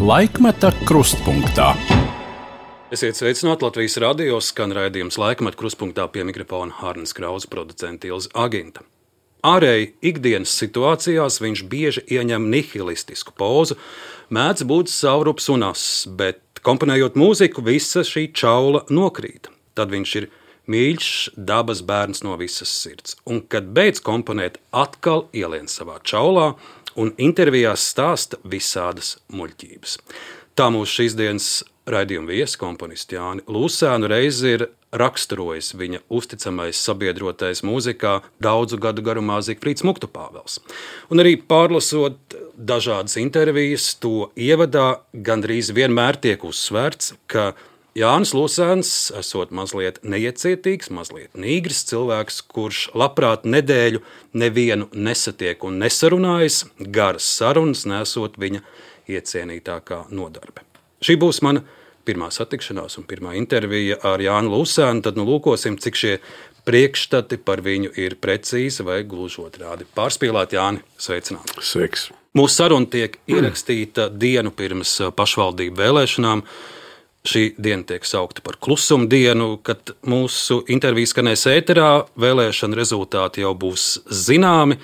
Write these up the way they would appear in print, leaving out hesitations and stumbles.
Laikmeta krustpunktā. Esiet sveicināti Latvijas radio, skan raidījums Laikmeta krustpunktā, pie mikrofona Hārnes Krauze, producente Ilze Aginta. Ārēji ikdienas situācijās viņš bieži ieņem nihilistisku pozu, mēdz būt saurups un ass, bet komponējot mūziku, visa šī čaula nokrīt. Tad viņš ir mīļš, dabas bērns no visas sirds. Un, kad beidz komponēt, atkal ielien savā čaulā un intervijās stāsta visādas muļķības. Tā mūsu šīs dienas raidījuma viesi, komponists Jāni Lūsēnu, reiz ir raksturojis viņa uzticamais sabiedrotais mūzikā daudzu gadu garumā Zigfrīds Muktupāvels. Un arī pārlasot dažādas intervijas, to ievadā gandrīz vienmēr tiek uzsvērts, ka Jānis Lūsēns esot mazliet neiecietīgs, mazliet nīgrs cilvēks, kurš labprāt nedēļu nevienu nesatiek un nesarunājas, garas sarunas nesot viņa iecienītākā nodarbe. Šī būs mana pirmā satikšanās un pirmā intervija ar Jāni Lūsēnu, tad lūkosim, cik šie priekšstati par viņu ir precīzi vai gluži otrādi. Pārspīlēt, Jāni, sveicināti. Sveiks. Mūsu saruna tiek ierakstīta dienu pirms pašvaldību vēlēšanām. Šī diena tiek saukta par klusuma dienu, kad mūsu intervija skanēs ēterā, vēlēšana rezultāti jau būs zināmi.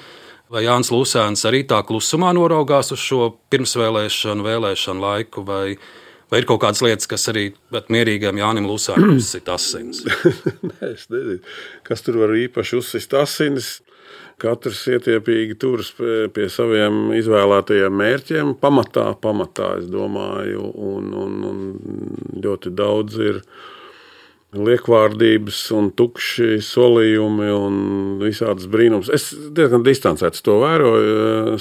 Vai Jānis Lūsēns arī tā klusumā noraugās uz šo pirmsvēlēšanu laiku, vai ir kaut kādas lietas, kas arī mierīgam Jānim Lūsēnam uzsit asinis? Nē, es nezinu, kas tur var īpaši uzsist asinis. Katrs ietiepīgi turas pie saviem izvēlētajiem mērķiem, pamatā, es domāju, un ļoti daudz ir liekvārdības un tukši solījumi un visādas brīnums. Es diezgan distancēts to vēroju,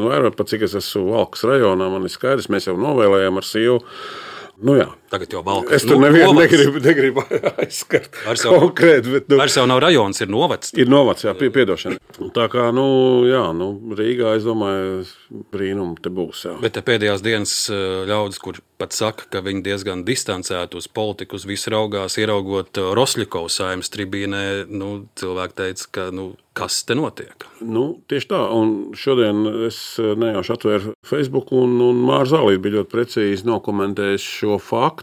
vēroju, pat cik es esmu Valkas rajonā, man ir skaidrs, mēs jau novēlējām ar sievu. Nu jā. Tagad jau Valkas. Es tur nevienu negribu aizskart konkrēti. Bet, vairs jau nav rajons, ir novads. Ir novads, jā, piedošana. Tā kā, Rīgā, es domāju, brīnumi te būs, jā. Bet te pēdējās dienas ļaudis, kur pat saka, ka viņi diezgan distancēti uz politiku, uz visu raugās, ieraugot Rosļikovas Saeimas tribīnē, cilvēki teica, ka, kas te notiek? Tieši tā, un šodien es nejauši atvēru Facebook, un Māra Zālīte bija ļoti precīzi nokomentējis šo faktu,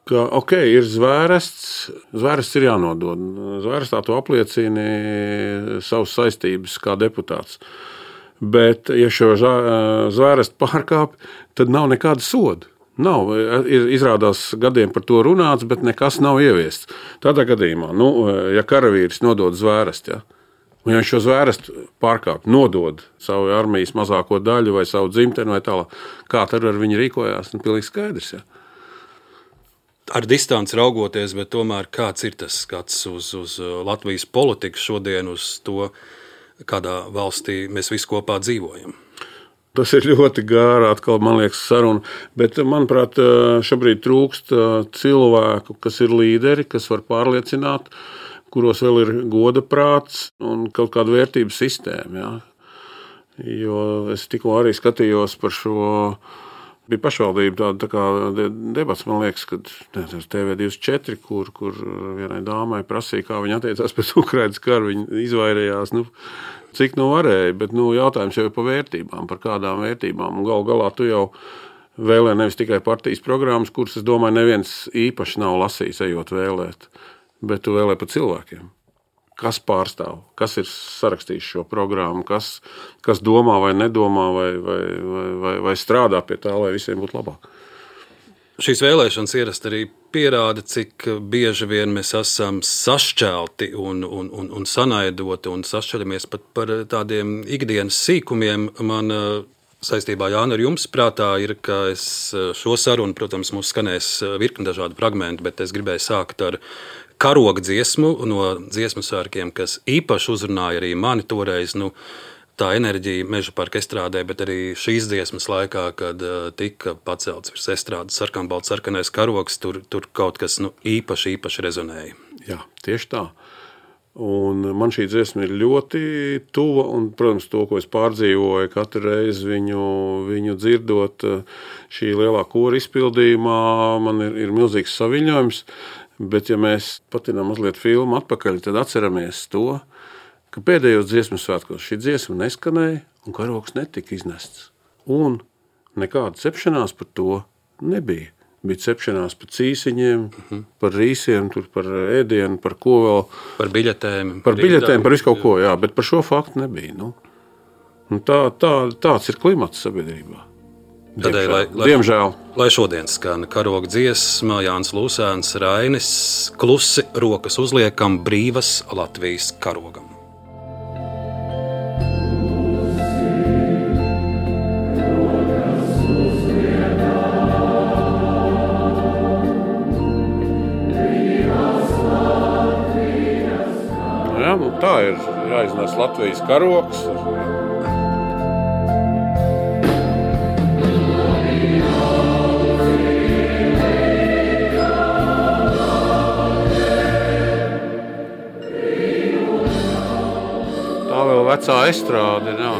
ka, ir zvērests ir jānodod. Zvērestā to apliecina savas saistības kā deputāts. Bet, ja šo zvērestu pārkāp, tad nav nekāda soda. Nav, izrādās gadiem par to runāts, bet nekas nav ieviests. Tādā gadījumā, ja karavīrs nodod zvērestu, un ja viņš šo zvērestu pārkāp, nodod savu armijas mazāko daļu vai savu dzimteni vai tālāk, kā tad ar viņu rīkojās, pilnīgi skaidrs, Ar distanci raugoties, bet tomēr kāds ir tas skats uz Latvijas politiku šodien, uz to, kādā valstī mēs visi kopā dzīvojam? Tas ir ļoti gāra, atkal, man liekas, saruna, bet, manuprāt, šobrīd trūkst cilvēku, kas ir līderi, kas var pārliecināt, kuros vēl ir goda prāts un kaut kāda vērtības sistēma. Jā. Jo es tikko arī skatījos par šo, bija pašvaldība tā kā debats, man liekas, kad TV24, kur vienai dāmai prasīja, kā viņa attiecās pēc Ukrainas karu, viņa izvairījās, cik varēja, bet jautājums jau ir par vērtībām, par kādām vērtībām, un galu galā tu jau vēlē nevis tikai partijas programmas, kuras, es domāju, neviens īpaši nav lasījis, ejot vēlēt, bet tu vēlē par cilvēkiem. Kas pārstāv, kas ir sarakstījis šo programmu, kas domā vai nedomā, vai strādā pie tā, lai visiem būtu labāk. Šīs vēlēšanas ierasti arī pierāda, cik bieži vien mēs esam sašķelti un sanaidoti un sašķeļamies pat par tādiem ikdienas sīkumiem. Man saistībā, Jāni, ar jums prātā ir, ka es šo sarunu, protams, mums skanēs virkni dažādi fragmenti, bet es gribēju sākt ar karoga dziesmu no dziesmu svētkiem, kas īpaši uzrunāja arī mani toreiz, tā enerģija Meža parka estrādē, bet arī šīs dziesmas laikā, kad tika pacelts virs estrādes sarkanbalts sarkanais karogs, tur kaut kas īpaši rezonēja. Jā, tieši tā. Un man šī dziesma ir ļoti tuva, un, protams, to, ko es pārdzīvoju katru reizi viņu dzirdot šī lielā kora izpildījumā, man ir milzīgs saviņojums. Bet, ja mēs patinām mazliet filmu atpakaļ, tad atceramies to, ka pēdējos dziesmu svētkos šī dziesma neskanēja un karogs netika iznests. Un Nekāda cepšanās par to nebija. Bija cepšanās par cīsiņiem, par rīsiem, par ēdienu, par ko vēl. Par biļetēm. Par visu kaut ko, jā, bet par šo faktu nebija. Tāds ir klimats sabiedrībā. Diemžēl. Lai šodien skan karoga dziesma, Jānis Lūsēns, Rainis, klusi rokas uzliekam brīvas Latvijas karogam. Tā ir jāiznes Latvijas karogs. Tā vēl vecā estrāde. Jā.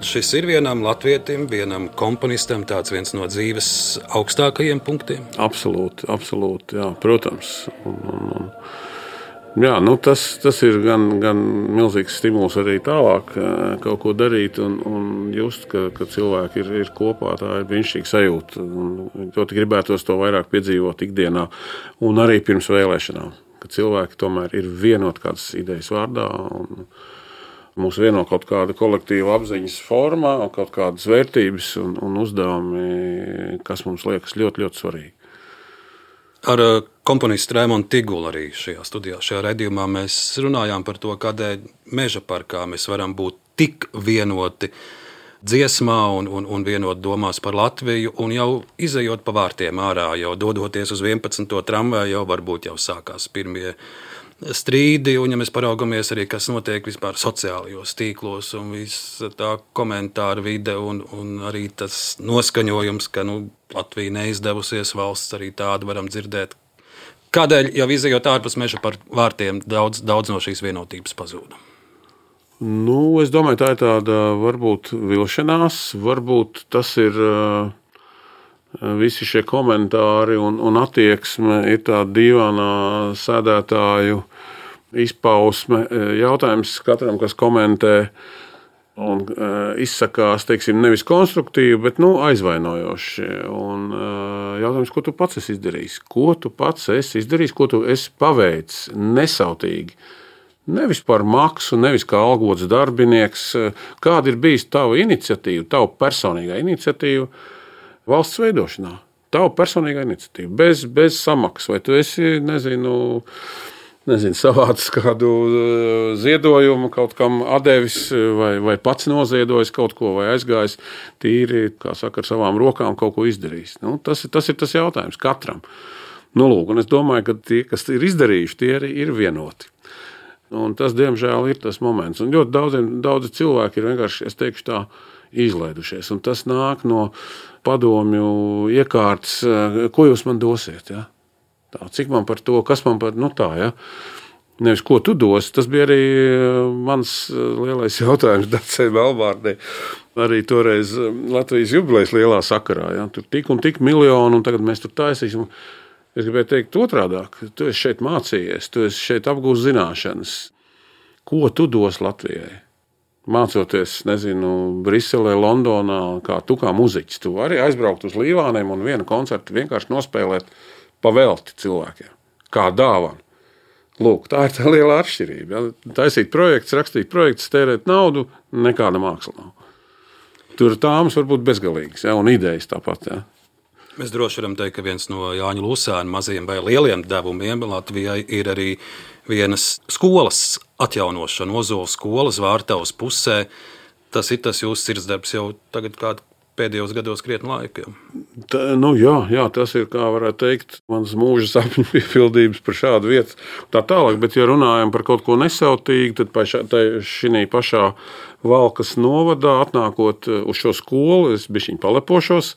Šis ir vienam latvietim, vienam komponistam tāds viens no dzīves augstākajiem punktiem? Absolūti, jā, protams. Jā, tas ir gan milzīgs stimuls arī tālāk kaut ko darīt un just, ka cilvēki ir kopā, tā ir brīnišķīga sajūta. Ļoti gribētos to vairāk piedzīvot ikdienā un arī pirms vēlēšanām, ka cilvēki tomēr ir vienoti kādas idejas vārdā un mūs vieno kaut kāda kolektīva apziņas formā, kaut kādas vērtības un uzdevumi, kas mums liekas ļoti, ļoti svarīgi. Ar komponistu Raimondu Tigulu arī šajā studijā, šajā raidījumā mēs runājām par to, kādēļ Meža parkā mēs varam būt tik vienoti dziesmā un vienot domās par Latviju, un jau izejot pa vārtiem ārā, jau dodoties uz 11. tramvaju, jau varbūt jau sākās pirmie strīdi, un ja mēs paraugamies arī, kas notiek vispār sociālajos tīklos un viss tā komentāra vide un arī tas noskaņojums, ka Latvija neizdevusies valsts, arī tādu varam dzirdēt. Kādēļ jau izejot ārpus Meža par vārtiem daudz no šīs vienotības pazūda? Es domāju, tā ir tāda varbūt vilšanās, varbūt tas ir visi šie komentāri un attieksme ir tāda dīvainā sēdētāju izpausme. Jautājums katram, kas komentē un izsakās, teiksim, nevis konstruktīvi, bet aizvainojoši. Un jautājums, ko tu pats esi izdarījis? Ko tu pats esi izdarījis, ko tu esi paveicis nesautīgi? Nevis par maksu, nevis kā algots darbinieks. Kāda ir bijis tava iniciatīva, tava personīgā iniciatīva valsts veidošanā? Tava personīgā iniciatīva, bez samaksas. Vai tu esi, nezinu, savāds kādu ziedojumu, kaut kam atdevis, vai pats noziedojis kaut ko, vai aizgājis tīri, kā saka, ar savām rokām kaut ko izdarījis. Tas ir tas jautājums katram. Un es domāju, ka tie, kas ir izdarījuši, tie arī ir vienoti. Un tas, diemžēl, ir tas moments. Un ļoti daudzi cilvēki ir vienkārši, es teikšu tā, izlaidušies. Un tas nāk no padomju iekārtas, ko jūs man dosiet, ja? Tā, cik man par to, kas man par, tā, ja? Nevis, ko tu dosi, tas bija arī mans lielais jautājums Dacei Melbārdei, arī toreiz Latvijas jubilejas lielā sakarā, ja? Tur tik un tik miljonu, un tagad mēs tur taisīsim. Es gribēju teikt otrādāk, tu esi šeit mācījies, tu esi šeit apgūst zināšanas. Ko tu dos Latvijai? Mācoties, Briselē, Londonā, kā muziķis. Tu vari aizbraukt uz Līvāniem un vienu koncertu vienkārši nospēlēt pavelti cilvēkiem. Kā dāvanu. Lūk, tā ir tā liela atšķirība. Ja? Taisīt projekts, rakstīt projekts, tērēt naudu, nekāda māksla nav. Tur tāmas var būt bezgalīgas, ja? Un idejas tāpat. Ja? Mēs droši varam teikt, ka viens no Jāņa Lūsēna mazajiem vai lieliem devumiem Latvijai ir arī vienas skolas atjaunošana, Ozola skolas Vārtavas pusē. Tas ir tas jūsu sirdsdarbs jau tagad kādu pēdējos gados krietni laika. Jā, tas ir, kā varētu teikt, mans mūža sapņu piepildījums par šādu vietu. Tā tālāk, bet ja runājam par kaut ko nesautīgu, tad šī pašā Valkas novadā atnākot uz šo skolu, es bišķiņ palepošos.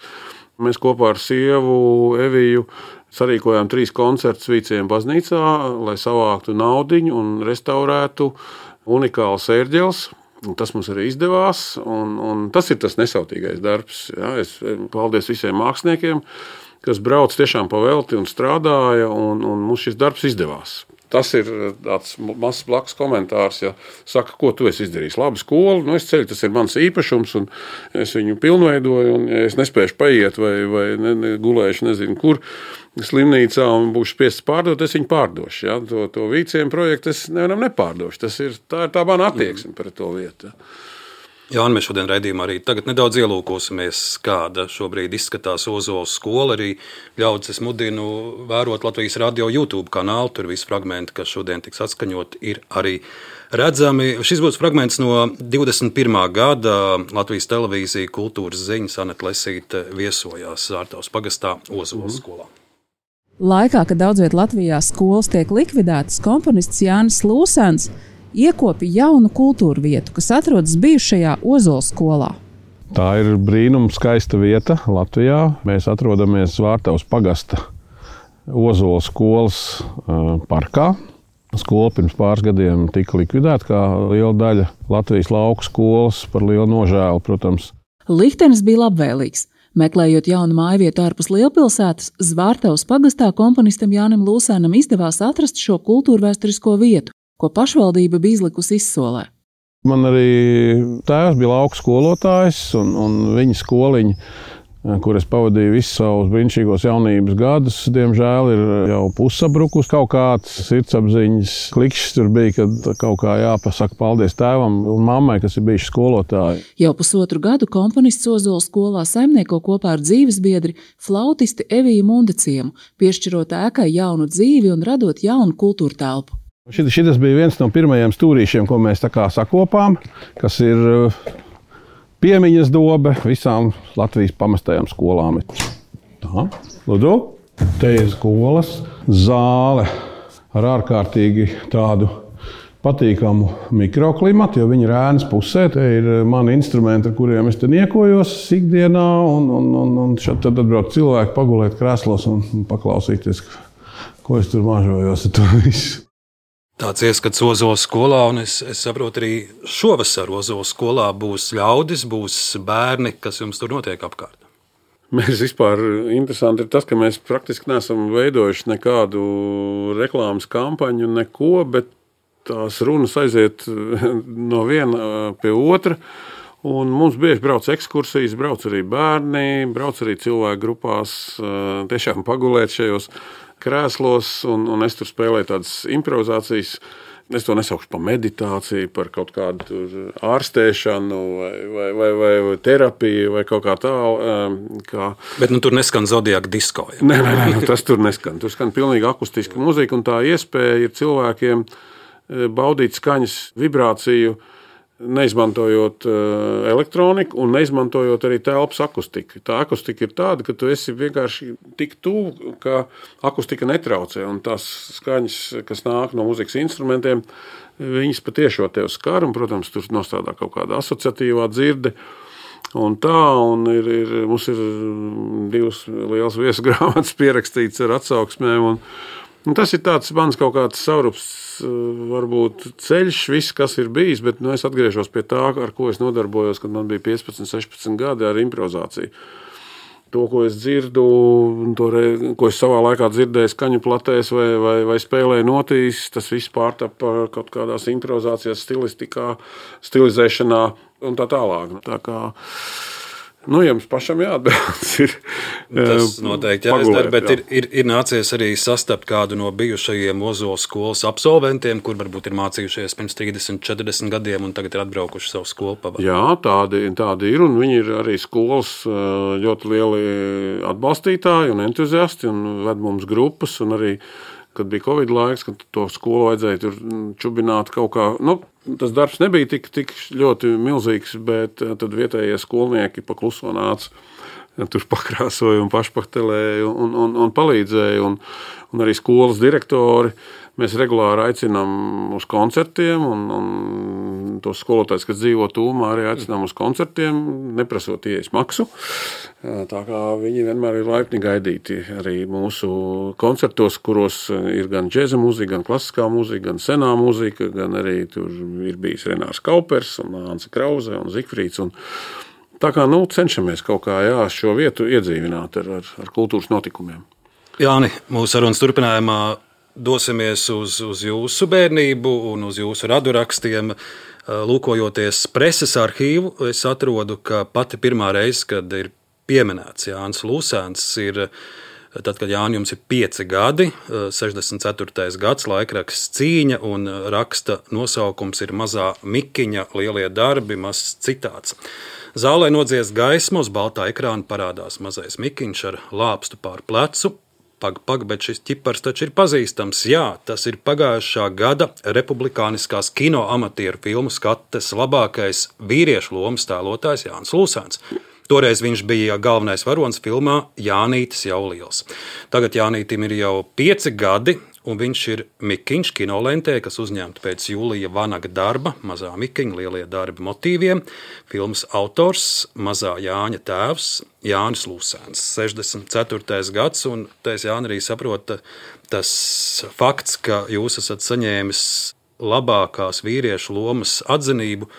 Mēs kopā ar sievu Eviju sarīkojām 3 koncertus Vīciem baznīcā, lai savāktu naudiņu un restaurētu unikāls ērģeles. Tas mums arī izdevās, un tas ir tas nesautīgais darbs. Ja? Es paldies visiem māksliniekiem, kas brauc tiešām pa velti un strādāja, un mums šis darbs izdevās. Tas ir tāds mazs blakus komentārs, ja saka, ko tu esi izdarījis. Labi, skolu, es ceļu, tas ir mans īpašums, un es viņu pilnveidoju, un ja es nespēšu paiet vai gulēšu nezinu kur slimnīcā un būšu spiests pārdot, es viņu pārdošu. Ja? To Vīciem projektu es nevaram nepārdošu. Tā ir tā mana attieksme pret to vietu. Ja? Jā, un mēs šodien raidījumā arī tagad nedaudz ielūkosimies, kāda šobrīd izskatās Ozoles skola. Arī ļaudis es mudinu vērot Latvijas radio YouTube kanālu. Tur visi fragmenti, kas šodien tiks atskaņot, ir arī redzami. Šis būs fragments no 21. gada Latvijas televīzija kultūras ziņas. Aneta Lesīte viesojās Zārtavas pagastā Ozoles skolā. Laikā, kad daudzviet Latvijā skolas tiek likvidētas, komponists Jānis Lūsens iekopja jaunu kultūra vietu, kas atrodas bijušajā Ozoles skolā. Tā ir brīnums skaista vieta Latvijā. Mēs atrodamies Zārtavas pagasta Ozoles skolas parkā. Skola pirms pāris gadiem tika likvidēta, kā liela daļa Latvijas lauku skolas, par lielu nožēlu, protams. Liktenis bija labvēlīgs. Meklējot jaunu mājvietu ārpus lielpilsētas, Zārtavas pagastā komponistam Jānim Lūsēnam izdevās atrast šo kultūrvēsturisko vietu, ko pašvaldība bija izlikusi izsolē. Man arī tēvs bija lauku skolotājs, un viņa skoliņa, kur es pavadīju visus savus brīnišķīgos jaunības gadus, diemžēl ir jau pussabrukus. Kaut kāds sirdsapziņas klikšķis tur bija, kad kaut kā jāpasaka paldies tēvam un mammai, kas ir bijuši skolotāji. Jau pusotru gadu komponists Ozoles skolā saimnieko kopā ar dzīvesbiedri flautisti Eviju Mundeciemu, piešķirot ēkai jaunu dzīvi un radot jaunu kultūra telpu. Šis bija viens no pirmajiem stūrīšiem, ko mēs tā kā sakopām, kas ir piemiņas dobe visām Latvijas pamestajām skolām. Tā, lūdzu, te ir skolas zāle ar ārkārtīgi tādu patīkamu mikroklimatu, jo viņi ir ēnas pusē. Te ir mani instrumenti, ar kuriem es te niekojos ikdienā, un šeit tad atbrauc cilvēki pagulēt krēslos un paklausīties, ko es tur mažojos ar to visu. Tāds ieskats Ozoles skolā, un es saprotu, arī šovasar Ozoles skolā būs ļaudis, būs bērni, kas jums tur notiek apkārt. Mēs vispār interesanti ir tas, ka mēs praktiski neesam veidojuši nekādu reklāmas kampaņu, neko, bet tās runas aiziet no viena pie otra. Un mums bieži brauc ekskursijas, brauc arī bērni, brauc arī cilvēku grupās, tiešām pagulēt šajos krēslos, un es tur spēlēju tādas improvizācijas. Es to nesaukšu par meditāciju, par kaut kādu ārstēšanu vai terapiju vai kaut kā tālu. Bet tur neskan Zodiaka disko. Ja? Nē, tas tur neskan. Tur skan pilnīgi akustiska muzika, un tā iespēja ir cilvēkiem baudīt skaņas vibrāciju, neizmantojot elektroniku un neizmantojot arī telpas akustiku. Tā akustika ir tāda, ka tu esi vienkārši tik tuvu, ka akustika netraucē, un tās skaņas, kas nāk no muzikas instrumentiem, viņas patiešo tev skar, un, protams, tur nostādā kaut kāda asociatīvā dzirde. Un mums ir 2 lielas viesu grāmatas pierakstītas ar atsauksmēm, un tas ir tāds mans kaut kāds saurups, varbūt ceļš, viss, kas ir bijis, bet es atgriežos pie tā, ar ko es nodarbojos, kad man bija 15, 16 gadi ar improvizāciju. To, ko es dzirdu, ko es savā laikā dzirdēju skaņu platēs vai spēlēju notīs, tas viss pārtapa kaut kādās improvizācijas stilistikā, stilizēšanā un tā tālāk. Tā kā jums pašam jāatbilst. Tas noteikti jāizdara, bet ir nācies arī sastapt kādu no bijušajiem Ozoles skolas absolventiem, kur varbūt ir mācījušies pirms 30, 40 gadiem un tagad ir atbraukuši savu skolu pavadīt. Jā, tādi ir, un viņi ir arī skolas ļoti lieli atbalstītāji un entuziasti un ved mums grupas, un arī, kad bija Covid laiks, kad to skolu vajadzēja tur čubināt kaut kā, tas darbs nebija tik ļoti milzīgs, bet tad vietējie skolnieki pa kluso nāca, tur pakrāsoja un pašpaktelēja un palīdzēja. Un arī skolas direktori Mēs regulāri aicinām uz koncertiem, un tos skolotājus, kas dzīvo tūmā, arī aicinām uz koncertiem, neprasot ieejas maksu. Tā kā viņi vienmēr ir laipni gaidīti arī mūsu koncertos, kuros ir gan džēza mūzika, gan klasiskā mūzika, gan senā mūzika, gan arī tur ir bijis Renārs Kaupers, un Anse Krause un Zigfrīds. Tā kā cenšamies kaut kā šo vietu iedzīvināt ar kultūras notikumiem. Jāni, mūsu sarunas turpinājumā dosimies uz jūsu bērnību un uz jūsu radurakstiem. Lūkojoties preses arhīvu, es atrodu, ka pati pirmā reize, kad ir pieminēts Jānis Lūsēns, ir tad, kad Jānim jums ir 5 gadi, 64. gads, laikraksts Cīņa, un raksta nosaukums ir Mazā Mikiņa lielie darbi, mazs citāts. Zālē nodzies gaisma, uz baltā ekrāna parādās mazais Mikiņš ar lāpstu pār plecu. Pag, bet šis ķipars taču ir pazīstams. Jā, tas ir pagājušā gada republikāniskās kino amatieru filmu skates labākais vīriešu lomas tēlotājs Jānis Lūsēns. Toreiz viņš bija galvenais varonis filmā Jānītis jau liels. Tagad Jānītim ir jau 5 gadi, un viņš ir Mikiņš kinolentē, kas uzņemta pēc Jūlija Vanaga darba Mazā Mikiņa lielie darbi motīviem. Filmas autors, Mazā Jāņa tēvs, Jānis Lūsēns, 64. gads, un es Jāni arī saprotu, tas fakts, ka jūs esat saņēmis labākās vīriešu lomas atzinību.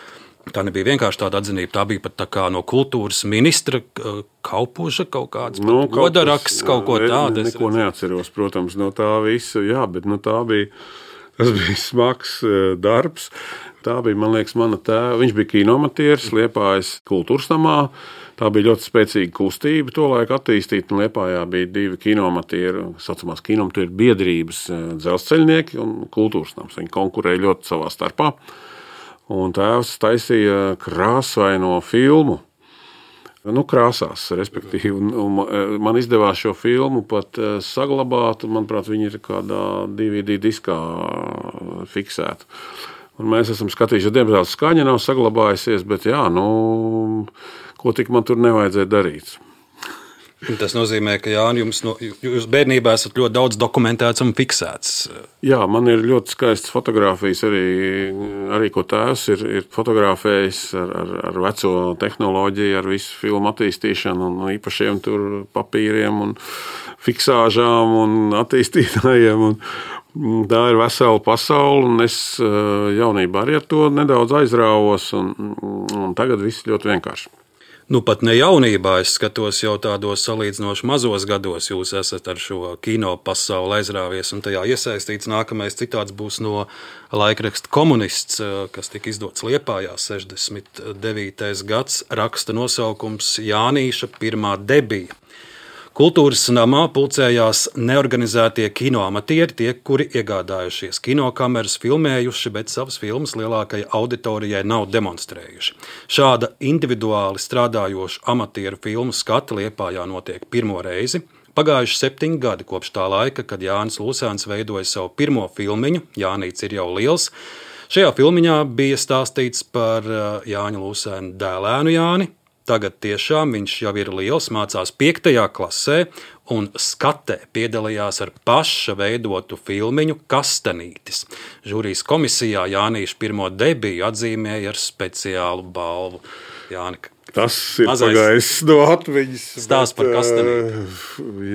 Tā nebija vienkārši tāda atzinība, tā bija pat tā kā no kultūras ministra Kaupuža kaut kāds godaraksts, kaut ko tādu. Neko neatceros, protams, no tā visa, jā, bet tas bija smags darbs. Tā bija, man liekas, mana tēva. Viņš bija kinoamatieris Liepājas kultūras namā. Tā bija ļoti spēcīga kustība, tolaik attīstīta, un Liepājā bija 2 kinoamatieri, saucamās kinoamatieru biedrības, dzelzceļnieki un kultūras nams. Viņi konkurēja ļoti savā starpā. Un tēvs taisīja krāsaino filmu, krāsās, respektīvi. Un man izdevās šo filmu pat saglabāt, un, manuprāt, viņi ir kādā DVD diskā fiksēta. Un mēs esam skatījuši, diemžēl skaņa nav saglabājusies, bet ko tik man tur nevajadzēja darīt. Tas nozīmē, ka Jāni, jūs bērnībā esat ļoti daudz dokumentēts un fiksēts. Jā, man ir ļoti skaistas fotogrāfijas, arī ko tēvs ir fotografējis ar veco tehnoloģiju, ar visu filmu attīstīšanu un īpašiem tur papīriem un fiksāžām un attīstītājiem. Tā ir vesela pasaule, un es jaunībā arī ar to nedaudz aizrāvos, un tagad viss ļoti vienkārši. Pat ne jaunībā, es skatos jau tādos salīdzinoši mazos gados, jūs esat ar šo kino pasauli aizrāvies un tajā iesaistīts. Nākamais citāts būs no laikraksta Komunists, kas tika izdots Liepājā 69. gads, raksta nosaukums Jānīša pirmā debija. Kultūras namā pulcējās neorganizētie kinoamatieri, tie, kuri iegādājušies kinokameras, filmējuši, bet savas filmas lielākajai auditorijai nav demonstrējuši. Šāda individuāli strādājoša amatieru filmu skata Liepājā notiek pirmo reizi. Pagājuši 7 gadi kopš tā laika, kad Jānis Lūsēns veidoja savu pirmo filmiņu, Jānīts ir jau liels. Šajā filmiņā bija stāstīts par Jāņa Lūsēna dēlēnu Jāni. Tagad tiešām viņš jau ir liels, mācās 5. klasē un skatē piedalījās ar paša veidotu filmiņu Kastanītis. Žūrijas komisijā Jānīša pirmo debiju atzīmēja ar speciālu balvu. Jāni, tas ir pagājis no atmiņas. Stāsts par Kastanīti.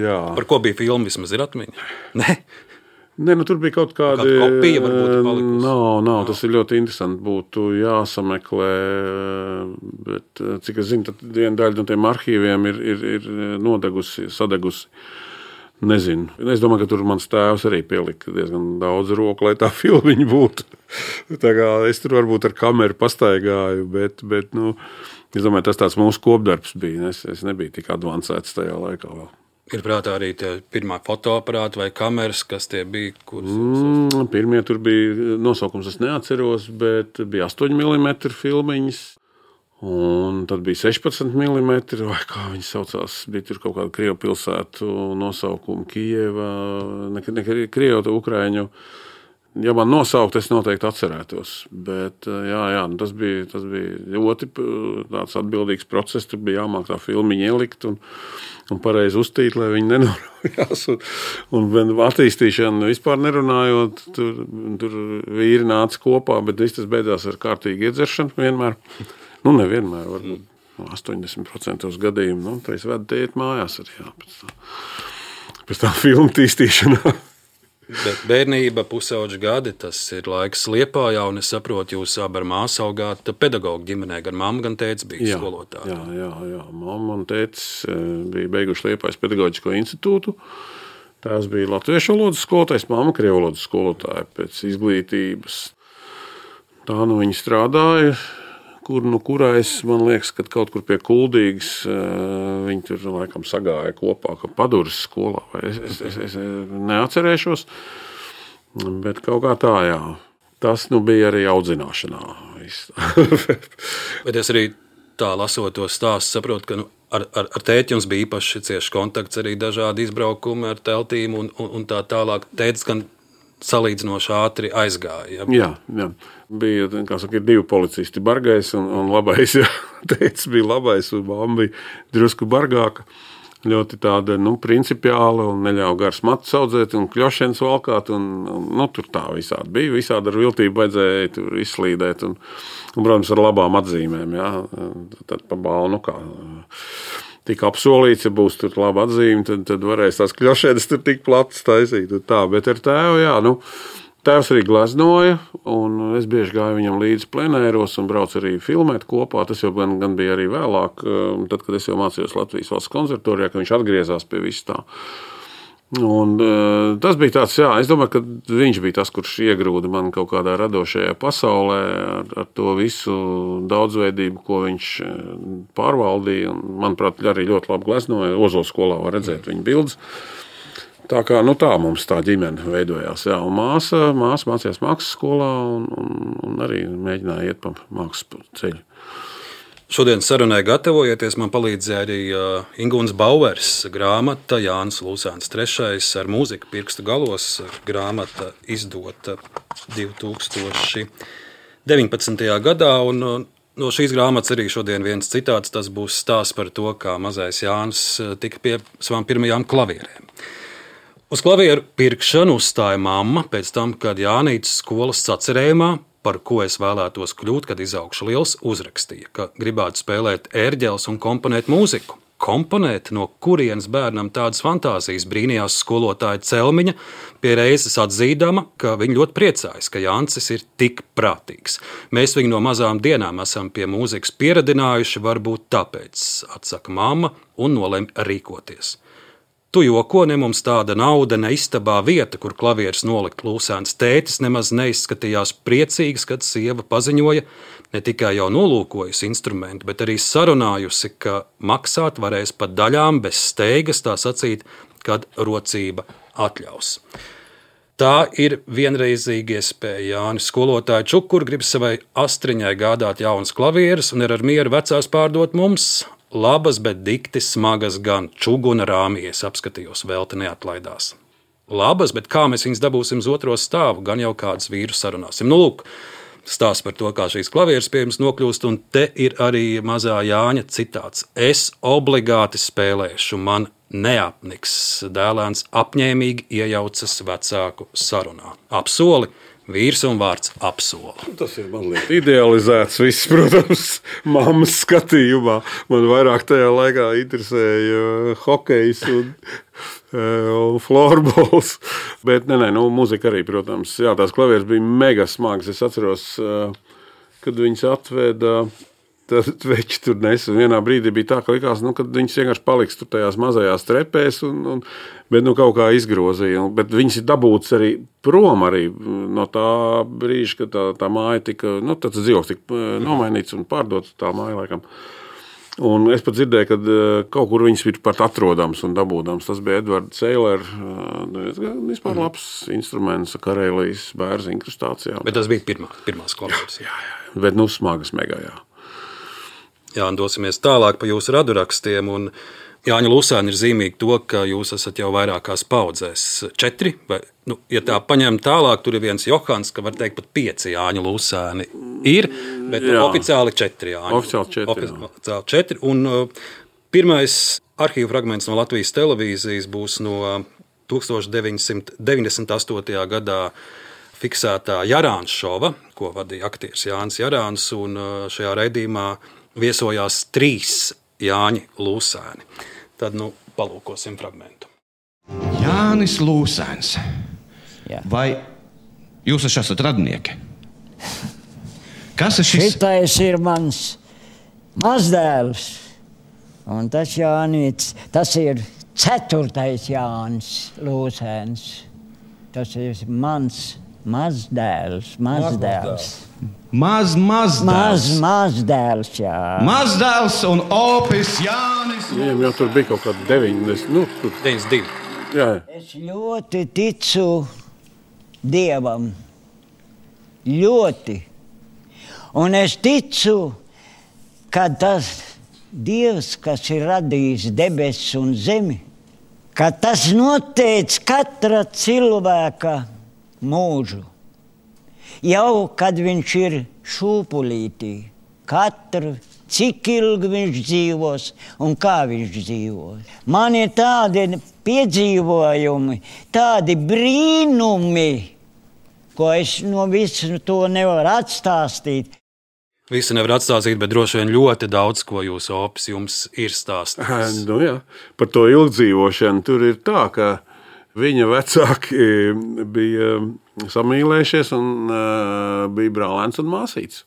Jā. Par ko bija filma, vismaz ir atmiņa? Nē, tur bija kaut kāda kopija, varbūt palikusi. Nav, tas ir ļoti interesanti, būtu jāsameklē, bet cik es zinu, tad viena daļa no tiem arhīviem ir nodegusi, sadegusi. Nezinu. Es domāju, ka tur mans tēvs arī pielika diezgan daudz roku, lai tā filmiņa būtu. Tā kā es tur varbūt ar kameru pastaigāju, bet es domāju, tas tāds mūsu kopdarbs bija. Es nebiju tik advancēts tajā laikā vēl. Ir prātā arī tie pirmā fotoaparāti vai kameras, kas tie bija? Pirmie tur bija nosaukums, es neatceros, bet bija 8 mm filmiņas. Un tad bija 16 mm, vai kā viņi saucās, bija tur kaut kāda Krievu pilsētu nosaukuma Kijeva, ne Krievu, Ukraiņu, Ja man nosaukt, es noteikti atcerētos. Bet tas bija ļoti tāds atbildīgs process. Tur bija jāmāk tā filmiņa ielikt un pareizi uztīt, lai viņi nenoraujās. Un attīstīšana vispār nerunājot, tur vīri nāca kopā, bet viss tas beidzās ar kārtīgu iedzeršanu vienmēr. Nevienmēr, varbūt 80% gadījumu. Tā es vedu te iet mājās arī, pēc tā filmu tīstīšanā. Bet bērnība, pusauģa gadi, tas ir laiks Liepājā, un es saprotu, jūs abi ar māsu augāt pedagoģu ģimenē, gan mamma, gan tētis bija skolotāji. Jā. Mamma un tētis bija beiguši Liepājas pedagoģisko institūtu. Tēvs bija latviešu valodas skolotājs, mamma krievu valodas skolotāja pēc izglītības. Tā viņi strādāja. Kurais, man liekas, ka kaut kur pie Kuldīgas viņi tur laikam sagāja kopā, ka Paduras skolā, vai es neatcerēšos, bet kaut kā tā, jā. Tas bija arī audzināšanā. Bet es arī tā lasot to stāstu, saprotu, ka ar tēti jums bija īpaši cieši kontakts, arī dažādi izbraukumi ar teltīm un tā tālāk. Tētis gan salīdzinoši ātri aizgāja. Jā. Bija, kā saka, ir divi policisti, bargais un labais. Jā. Tētis bija labais un mamma bija drusku bargāka. Ļoti tāda, principiāla un neļauj garas matus audzēt un kļošens valkāt. Tur tā visādi bija. Visādi ar viltību vajadzēja tur izslīdēt un protams, ar labām atzīmēm. Jā. Tad pa balnu kā tika apsolīts, ja būs tur laba atzīme, tad varēs tās kļošēdas tur tik platas taisīt. Bet ar tēvu, tēvs arī gleznoja, un es bieži gāju viņam līdzi plenēros un braucu arī filmēt kopā. Tas jau gan bija arī vēlāk, tad, kad es jau mācījos Latvijas Valsts konservatorijā, ka viņš atgriezās pie viss tā. Un tas bija tāds, es domāju, ka viņš bija tas, kurš iegrūda man kaut kādā radošajā pasaulē ar to visu daudzveidību, ko viņš pārvaldīja. Un, manuprāt, arī ļoti labi gleznoja. Ozols skolā var redzēt viņa bildes. Tā kā tā mums tā ģimene veidojās. Jā. Un māsa mācījās mākslas skolā un arī mēģināja iet pa mākslas ceļu. Šodien sarunai gatavojieties, man palīdzēja arī Ingūns Bauers grāmata Jānis Lūsēns III ar mūziku pirkstu galos. Grāmata izdota 2019. gadā, un no šīs grāmatas arī šodien viens citāts, tas būs stāsts par to, kā mazais Jānis tika pie savām pirmajām klavierēm. Uz klavieru pirkšanu uzstāja mamma pēc tam, kad Jānītes skolas sacerējumā, par ko es vēlētos kļūt, kad izaugšu liels, uzrakstīja, ka gribētu spēlēt ērģeles un komponēt mūziku. Komponēt, no kurienes bērnam tādas fantāzijas, brīnījās skolotāja Celmiņa, pie reizes atzīdama, ka viņa ļoti priecājas, ka Jānis ir tik prātīgs. Mēs viņu no mazām dienām esam pie mūzikas pieradinājuši, varbūt tāpēc, atsaka mamma un nolem rīkoties. Tu joko, ne mums tāda nauda, ne istabā vieta, kur klavieres nolikt. Lūsēns tētis nemaz neizskatījās priecīgs, kad sieva paziņoja, ne tikai jau nolūkojusi instrumentu, bet arī sarunājusi, ka maksāt varēs pa daļām bez steigas, tā sacīt, kad rocība atļaus. Tā ir vienreizīga iespēja. Jānis skolotāja Čukur grib savai astriņai gādāt jaunas klavieres un ir ar mieru vecās pārdot mums. Labas, bet dikti smagas gan čuguna rāmies, apskatījos, velti neatlaidās. Labas, bet kā mēs viņus dabūsim uz otro stāvu, gan jau kādus vīrus sarunāsim. Lūk, stāsts par to, kā šīs klavieres pie jums nokļūst, un te ir arī mazā Jāņa citāts. Es obligāti spēlēšu, man neapniks. Dēlēns apņēmīgi iejaucas vecāku sarunā. Apsoli. Vīrs un vārds apsoli. Tas ir mazliet idealizēts viss, protams, mammas skatījumā. Man vairāk tajā laikā interesēja hokejs un florbols. Bet mūzika arī, protams. Jā, tās klavieres bija mega smagas. Es atceros, kad viņas atveda, tad veči tur nesa. Vienā brīdī bija tā, ka likās, kad viņas vienkārši paliks tur tajās mazajās trepēs, bet kaut kā izgrozīja. Bet viņas ir dabūtas arī prom arī no tā brīža, kad tā māja tika, tāds dzīvoklis tika nomainīts un pārdots tā māja laikam. Un es pat dzirdēju, ka kaut kur viņas ir pat atrodams un dabūdams. Tas bija Edvards Seiler, vispār labs instruments Karelijas bērzu inkrustācijā. Bet tas bija pirmās klavieres. Jā. Bet smagas mega, jā. Jā, un dosimies tālāk pa jūsu radurakstiem. Un Jāņa Lūsēna ir zīmīga to, ka jūs esat jau vairākās paudzēs. 4, vai, ja tā paņem tālāk, tur ir viens Johans, ka var teikt pat 5 Jāņa Lūsēni ir, bet oficiāli 4 Jāņa. Oficiāli 4. Un pirmais arhīvu fragments no Latvijas televīzijas būs no 1998. gadā fiksētā Jarāns šova, ko vadīja aktieris Jānis Jarāns, un šajā raidījumā viesojās 3 Jāņi Lūsēni. Tad, palūkosim fragmentu. Jānis Lūsēns. Jā. Vai jūs esat radnieki? Kas ir šis? Šitais ir mans mazdēls. Un tas Jānis, tas ir 4. Jānis Lūsēns. Tas ir mans mazdēls. Mazdēls, jā. Mazdēls un opis Jānis. Viņiem jau tur bija kaut kāda 92. 92. Jā. Es ļoti ticu Dievam. Ļoti. Un es ticu, ka tas Dievs, kas ir radījis debesis un zemi, ka tas noteic katra cilvēka mūžu. Jau kad viņš ir šūpulītī, cik ilgi viņš dzīvos un kā viņš dzīvos. Man ir tādi piedzīvojumi, tādi brīnumi, ko es no visu to nevaru atstāstīt. Visi nevar atstāstīt, bet droši vien ļoti daudz, ko jūsu opis jums ir stāstījis. Jā. Par to ilgdzīvošanu tur ir tā, ka viņa vecāki bija samīlējušies un bija brālēns un māsīts.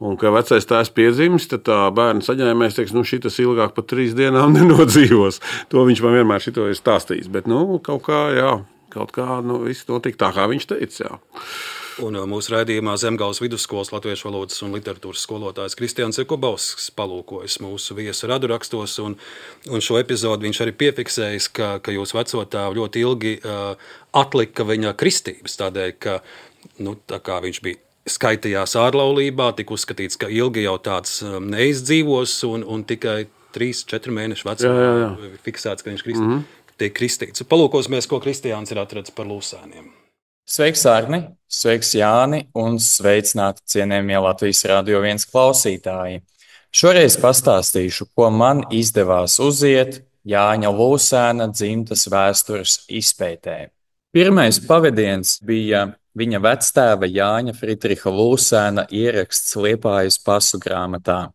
Un, kad vecais tēvs piedzimis, tad tā bērna saņēmējs teiks, šitas ilgāk par 3 dienām nenodzīvos. To viņš man vienmēr šito ir stāstījis. Bet, kaut kā, viss notika tā, kā viņš teica, jā. Un mūsu raidījumā Zemgales vidusskolas latviešu valodas un literatūras skolotājs Kristians Jakubovskis palūkojas mūsu viesu radurakstos, un šo epizodu viņš arī piefiksējis, ka jūs vecotēvu ļoti ilgi atlika viņa kristības, tādēļ, ka tā kā viņš bija skaitījās ārlaulībā, tika uzskatīts, ka ilgi jau tāds neizdzīvos, un tikai 3-4 mēnešu vecumā fiksēts, ka viņš tiek kristīts. Palūkosimies, ko Kristiāns ir atradzis par Lūsēniem. Sveiks, Arni, sveiks, Jāni, un sveicināti cienējamie Latvijas Radio 1 klausītāji. Šoreiz pastāstīšu, ko man izdevās uziet Jāņa Lūsēna dzimtas vēstures izpētē. Pirmais pavadiens bija viņa vectēva Jāņa Fritriha Lūsēna ieraksts Liepājas pasu grāmatā.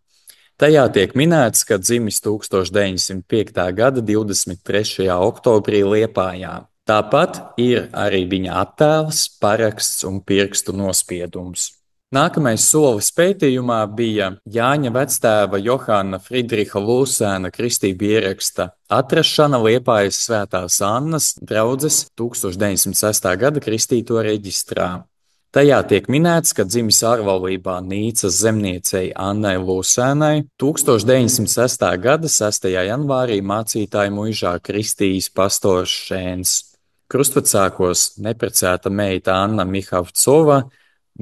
Tajā tiek minēts, ka dzimis 1905. gada 23. oktobrī Liepājā. Tāpat ir arī viņa attēls, paraksts un pirkstu nospiedums. Nākamais solis pētījumā bija Jāņa vectēva Johana Friedriha Lūsēna kristību ieraksta atrašana Liepājas Svētās Annas draudzes 1906. gada kristīto reģistrā. Tajā tiek minēts, ka dzimis ārlaulībā Nīcas zemniecei Annai Lūsēnai 1906. gada 6. janvārī mācītāju muižā kristījis pastors Šēns. Krustvecākos neprecēta meita Anna Mihavcova,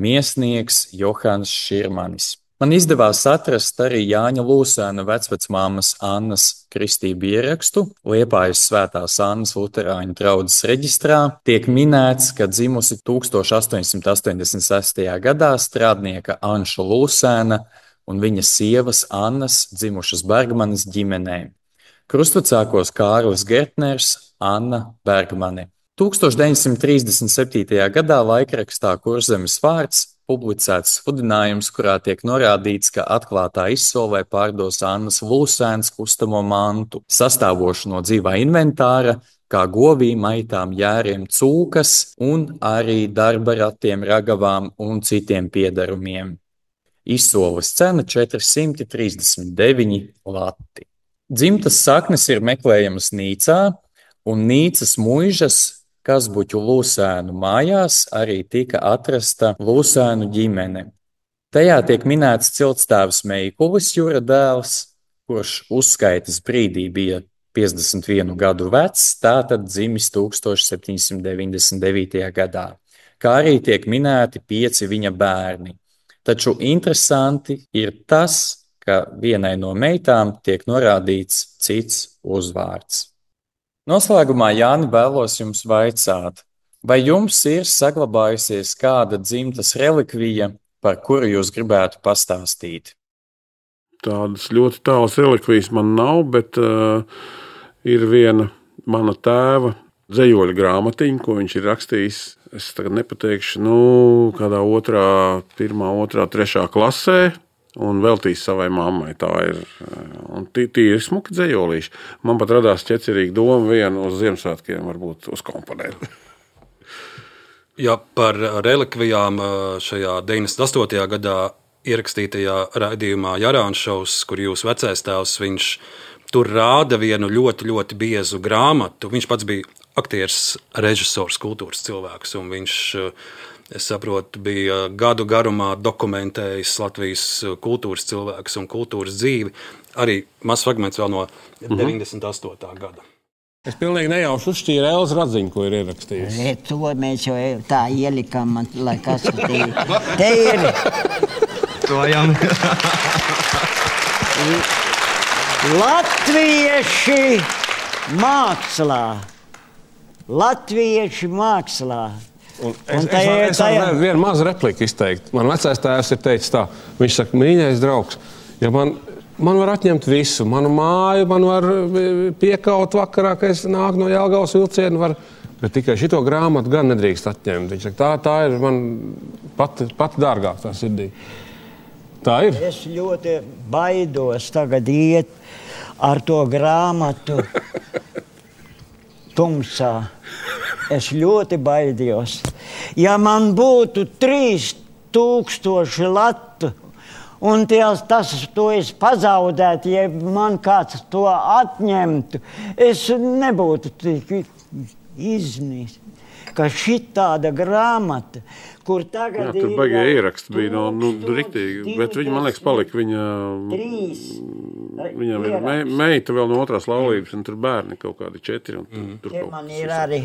miesnieks Johans Širmanis. Man izdevās atrast arī Jāņa Lūsēna vecvecmāmas Annas kristību ierakstu Liepājas Svētās Annas luterāņu draudzes reģistrā. Tiek minēts, ka dzimusi 1886. gadā strādnieka Anša Lūsēna un viņas sievas Annas dzimušas Bergmanes ģimenē. Krustvecākos Kārlis Gertners, Anna Bergmane. 1937. gadā laikrakstā Kurzemes vārds publicēts sludinājums, kurā tiek norādīts, ka atklātā izsolē pārdos Annas Lūsēnas kustamo mantu, sastāvošu no dzīvā inventāra, kā govīm, aitām, jēriem, cūkas un arī darba ratiem, ragavām un citiem piedarumiem. Izsoles cena 439 lati. Dzimtas saknes ir meklējamas Nīcā, un Nīcas muižas Kazbuķu Lūsēnu mājās arī tika atrasta Lūsēnu ģimene. Tajā tiek minēts ciltstēvs Meikulis Jura dēls, kurš uzskaitas brīdī bija 51 gadu vecs, tātad dzimis 1799. gadā, kā arī tiek minēti 5 viņa bērni. Taču interesanti ir tas, ka vienai no meitām tiek norādīts cits uzvārds. Noslēgumā, Jāni, vēlos jums vaicāt, vai jums ir saglabājusies kāda dzimtas relikvija, par kuru jūs gribētu pastāstīt? Tādas ļoti tālas relikvijas man nav, bet ir viena mana tēva dzejoļa grāmatiņa, ko viņš ir rakstījis. Es tagad nepateikšu, kādā 1., 2., 3. klasē un veltījis savai mammai. Tā ir. Un tīri smuki dzejolīši. Man pat radās ķecerīga doma vienu uz Ziemassvētkiem varbūt uzkomponēt. Ja par relikvijām šajā 98. gadā ierakstītajā raidījumā Jarāns šovs, kur jūs vecais tēvs, viņš tur rāda vienu ļoti, ļoti biezu grāmatu. Viņš pats bija aktieris, režisors, kultūras cilvēks, un viņš, es saprotu, bija gadu garumā dokumentējis Latvijas kultūras cilvēks un kultūras dzīvi. Arī mazs fragments vēl no 98. gada. Es pilnīgi nejauši uzšķīru Elzu Radziņu, ko ir ierakstījusi. To mēs jau tā ielikām, lai kas te ir. To jau. Latvieši mākslā. Latvieši mākslā. Es varu vienu mazu repliku izteikt. Man vecais tēvs ir teicis tā. Viņš saka, mīļais draugs, ja man var atņemt visu. Manu māju, man var piekaut vakarā, ka es nāku no Jelgavas vilcienu, bet tikai šito grāmatu gan nedrīkst atņemt. Viņš saka, tā ir man pati dārgāk tā sirdī. Tā ir. Es ļoti baidos tagad iet ar to grāmatu tumsā. Es ļoti baidījos. Ja man būtu 3000 latu un to es pazaudētu, ja man kāds to atņemtu, es nebūtu tik iznīst. Ka šitāda grāmata, kur tagad tur baigie ieraksti bija, riktīgi, bet viņa, man liekas, palika viņam ir meita vēl no 2. laulības, un tur bērni kaut kādi 4. Tur man ir arī.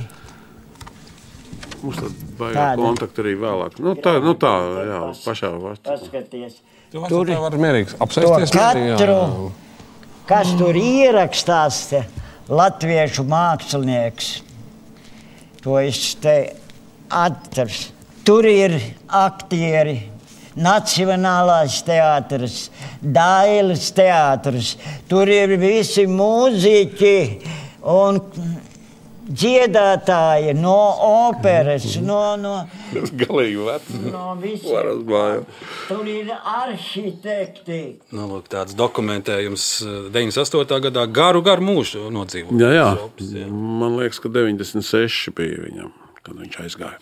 Mums tad baigā kontakti arī vēlāk. Tā, jā, pašā vārtā. Paskaties. Tur var mierīgs apsēsties. Katru, kas tur ierakstās, latviešu mākslinieks. To es te atceros. Tur ir aktieri, Nacionālais teātris, Dailes teātris. Tur ir visi mūziķi un dziedātāji no operas, galīgi veci. No visiem. Tur ir arhitekti. Tāds dokumentējums 98. gadā garu mūžu nodzīvot. Jā. Man liekas, ka 96 bija viņam, kad viņš aizgāja.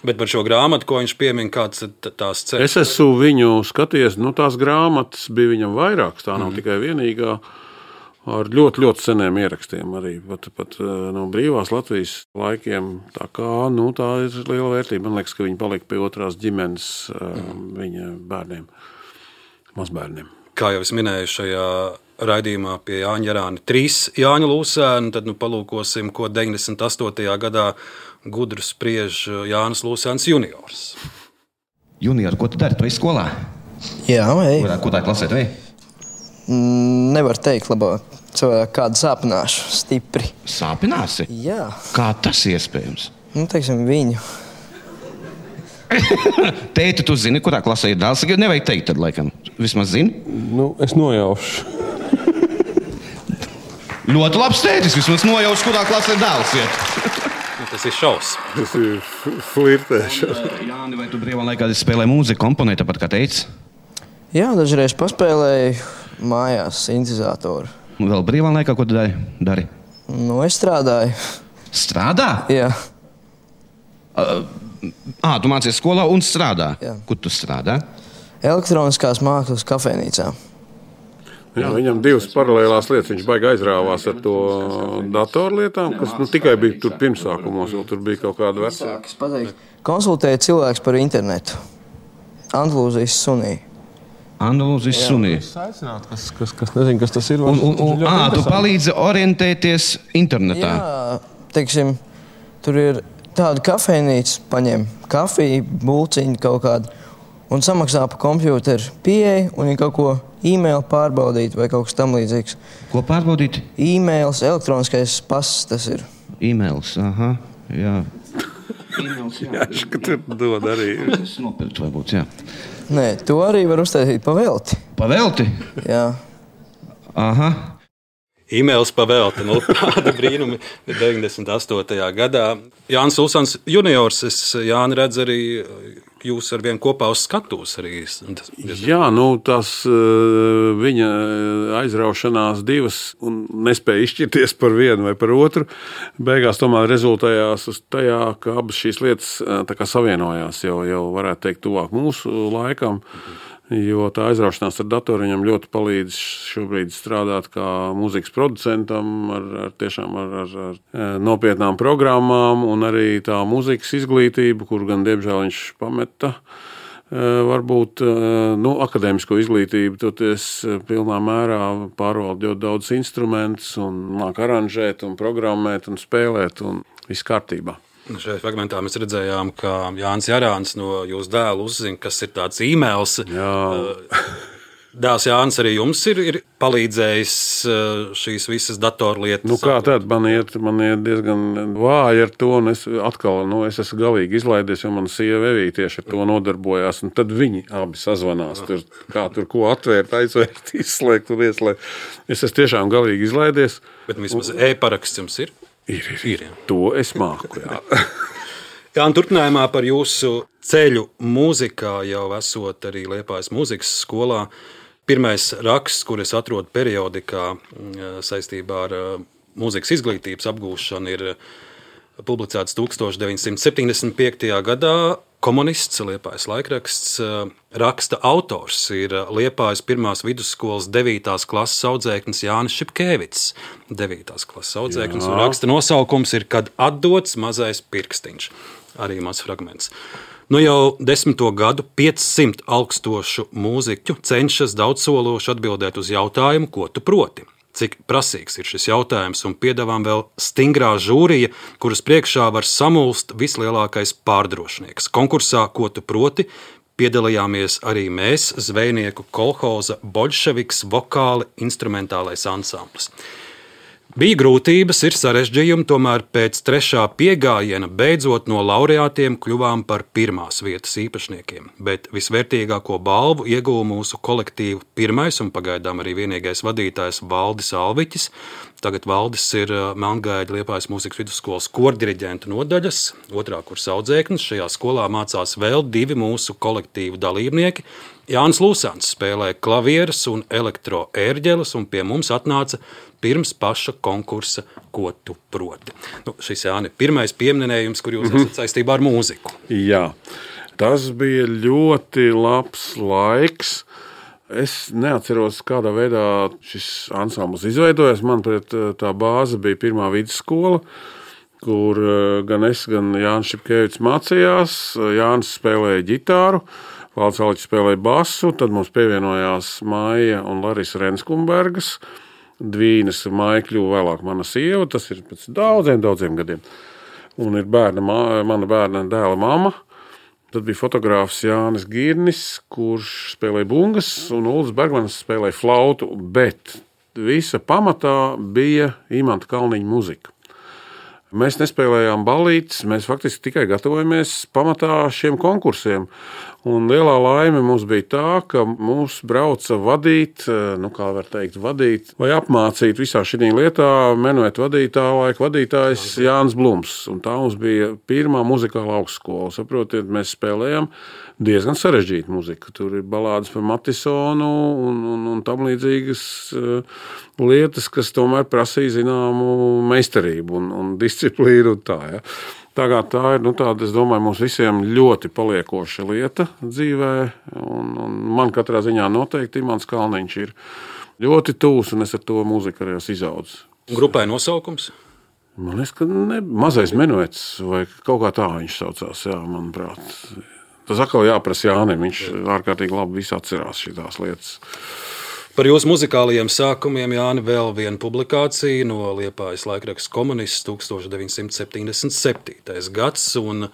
Bet par šo grāmatu, ko viņš piemin, kāds tās ceļš? Es esmu viņu skaties, tās grāmatas bija viņam vairākas, tā nav tikai vienīgā. Ar ļoti, ļoti seniem ierakstiem arī, pat no brīvās Latvijas laikiem. Tā ir liela vērtība. Man liekas, ka viņi palika pie 2. ģimenes viņa bērniem, mazbērniem. Kā jau es minēju šajā raidījumā pie Jāņa Jarāna 3 Jāņa Lūsēnu, tad palūkosim, ko 98. gadā gudru spriež Jānis Lūsēns juniors. Junior, ko tu dari? Tu esi skolā? Jā, ej. Ko tā klasē tu ej? Nevar teikt labāk. Cilvēku kādu sāpināšu stipri. Sāpināsi? Jā. Kā tas iespējams? Teiksim, viņu. Tēti, tu zini, kurā klasē ir dēls? Nevajag teikt tad, laikam. Vismaz zini? Es nojaušu. Ļoti labs tētis, vismaz nojaušu, kurā klasē ir dēls iet. Tas ir šaus. Tas ir flirtēšana. Jāni, vai tu brīvā laikā spēlē mūziku, komponē tāpat kā teici? Jā, dažreiz paspēlēju mājās sintezatoru. Vēl brīvā laikā, ko tu dari? Es strādāju. Strādā? Jā. Tu mācies skolā un strādā? Jā. Kur tu strādā? Elektroniskās mākslas kafejnīcā. Jā, viņam 2 paralēlās lietas. Viņš baigi aizrāvās ar to datorlietām, kas tikai bija tur pirmsākumos, jo tur bija kaut kāda vecāka. Konsultēja cilvēks par internetu. Andalūzijas sunī. Andalūzijas sunī. Kas nezin, kas tas ir. Tu palīdzi orientēties internetā. Jā, teiksim, tur ir tāda kafejnīca, paņem kafiju, būciņu kaut kādu un samaksā pa kompjūteru pieeju un viņi kaut ko e-mail pārbaudīt vai kaut kas tam līdzīgs. Ko pārbaudīt? E-mails, elektroniskais pass tas ir. E-mails, aha, jā. E-mails, Jā, ka tur dod arī. Es nopirkt varbūt, jā. Nē, to arī var uztaisīt pa velti. Pa velti? Jā. Aha. E-mails pavēlti, tāda brīnumi 98. gadā. Jānis Lusāns juniors, es Jāni redzu arī jūs ar vienu kopā uz skatuves arī. Jā, tās viņa aizraušanās divas un nespēja izšķirties par vienu vai par otru. Beigās tomēr rezultējās uz tajā, ka abas šīs lietas tā kā savienojās jau varētu teikt tuvāk mūsu laikam. Jo tā aizraušanās ar datoru viņam ļoti palīdz šobrīd strādāt kā mūzikas producentam ar nopietnām programmām un arī tā mūzikas izglītība, kur gan diemžēl viņš pameta. Varbūt akadēmisko izglītību, toties pilnā mērā pārvalda ļoti daudz instrumentus un māk aranžēt un programmēt un spēlēt un viss kārtībā. Šajā fragmentā mēs redzējām, ka Jānis Jarāns no jūsu dēla uzzina, kas ir tāds e-mails. Dēls Jānis arī jums ir palīdzējis šīs visas datorlietas. Kā tad? Man iet diezgan vāji ar to, un es esmu galīgi izlaidies, jo man sieva Evija tieši ar to nodarbojās, un tad viņi abi sazvanās, tur ko atvērt, aizvērt, izslēgt un ieslēgt. Es esmu tiešām galīgi izlaidies. Bet vismaz e-paraksts jums ir? Ir. To es māku, jā. Jā, un turpinājumā par jūsu ceļu mūzikā jau esot arī Liepājas mūzikas skolā. Pirmais raksts, kur es atrodu periodikā saistībā ar mūzikas izglītības apgūšanu, ir publicēts 1975. gadā. Komunists, Liepājas laikraksts, raksta autors ir Liepājas pirmās vidusskolas 9. klases audzēknis Jānis Šipkēvics. 9. klases audzēknis, un raksta nosaukums ir Kad atdots mazais pirkstiņš. Arī mazs fragments. Jau 10. gadu 500 augstošu mūziķu cenšas daudzsološi atbildēt uz jautājumu, ko tu proti. Cik prasīgs ir šis jautājums, un piedāvām vēl stingrā žūrija, kuras priekšā var samulst vislielākais pārdrošnieks. Konkursā, ko tu proti, piedalījāmies arī mēs, zvejnieku kolhoza Boļševiks vokāli instrumentālais ansamblis. Bija grūtības, ir sarežģījumi, tomēr pēc 3. piegājiena beidzot no laureātiem kļuvām par pirmās vietas īpašniekiem, bet visvērtīgāko balvu ieguva mūsu kolektīvu pirmais un pagaidām arī vienīgais vadītājs Valdis Alviķis. Tagad Valdis ir Melngaļa Liepājas mūzikas vidusskolas kordiriģentu nodaļas 2. kursa audzēknis. Šajā skolā mācās vēl 2 mūsu kolektīvu dalībnieki. Jānis Lusāns spēlē klavieres un elektroērģeles, un pie mums atnāca pirms paša konkursa, ko tu proti. Šis Jāni ir pirmais pieminējums, kur jūs esat saistībā ar mūziku. Jā, tas bija ļoti labs laiks. Es neatceros, kādā veidā šis ansamblis izveidojās. Manuprāt, tā bāze bija pirmā vidusskola, kur gan es, gan Jānis Šipkēvics mācījās. Jānis spēlēja ģitāru, Valdis Alviķis spēlēja basu, tad mums pievienojās Maija un Larisa Renskumbergas. Dvīnes Maija kļuva vēlāk mana sieva, tas ir pēc daudziem gadiem. Un ir mana bērna dēla mamma. Tad bija fotogrāfs Jānis Girnis, kurš spēlēja bungas, un Uldis Bergmanis spēlēja flautu, bet visa pamatā bija Imanta Kalniņa muzika. Mēs nespēlējām ballītes, mēs faktiski tikai gatavojamies pamatā šiem konkursiem. Un lielā laime mums bija tā, ka mūs brauca vadīt vai apmācīt visā šī lietā menuetu laika vadītājs Jānis Blums. Un tā mums bija pirmā muzikāla augstskola. Saprotiet, mēs spēlējām diezgan sarežģītu muziku. Tur ir balādes par Matisonu un tam līdzīgas lietas, kas tomēr prasīja zināmu meistarību un disciplīnu un tā, ja. Tagad tā ir, tāda, es domāju, mums visiem ļoti paliekoša lieta dzīvē, un man katrā ziņā noteikti Imants Kalniņš ir ļoti tūs, un es ar to mūziku arī esmu izaudzis. Grupai nosaukums? Man liekas, ka mazais menuets, vai kaut kā tā viņš saucās, jā, manuprāt. Tas atkal jāprasa Jānim, viņš ārkārtīgi labi visu atcerās šitās lietas. Par jūsu muzikālajiem sākumiem, Jāni, vēl viena publikācija no Liepājas laikraksta Komunists 1977. gads, un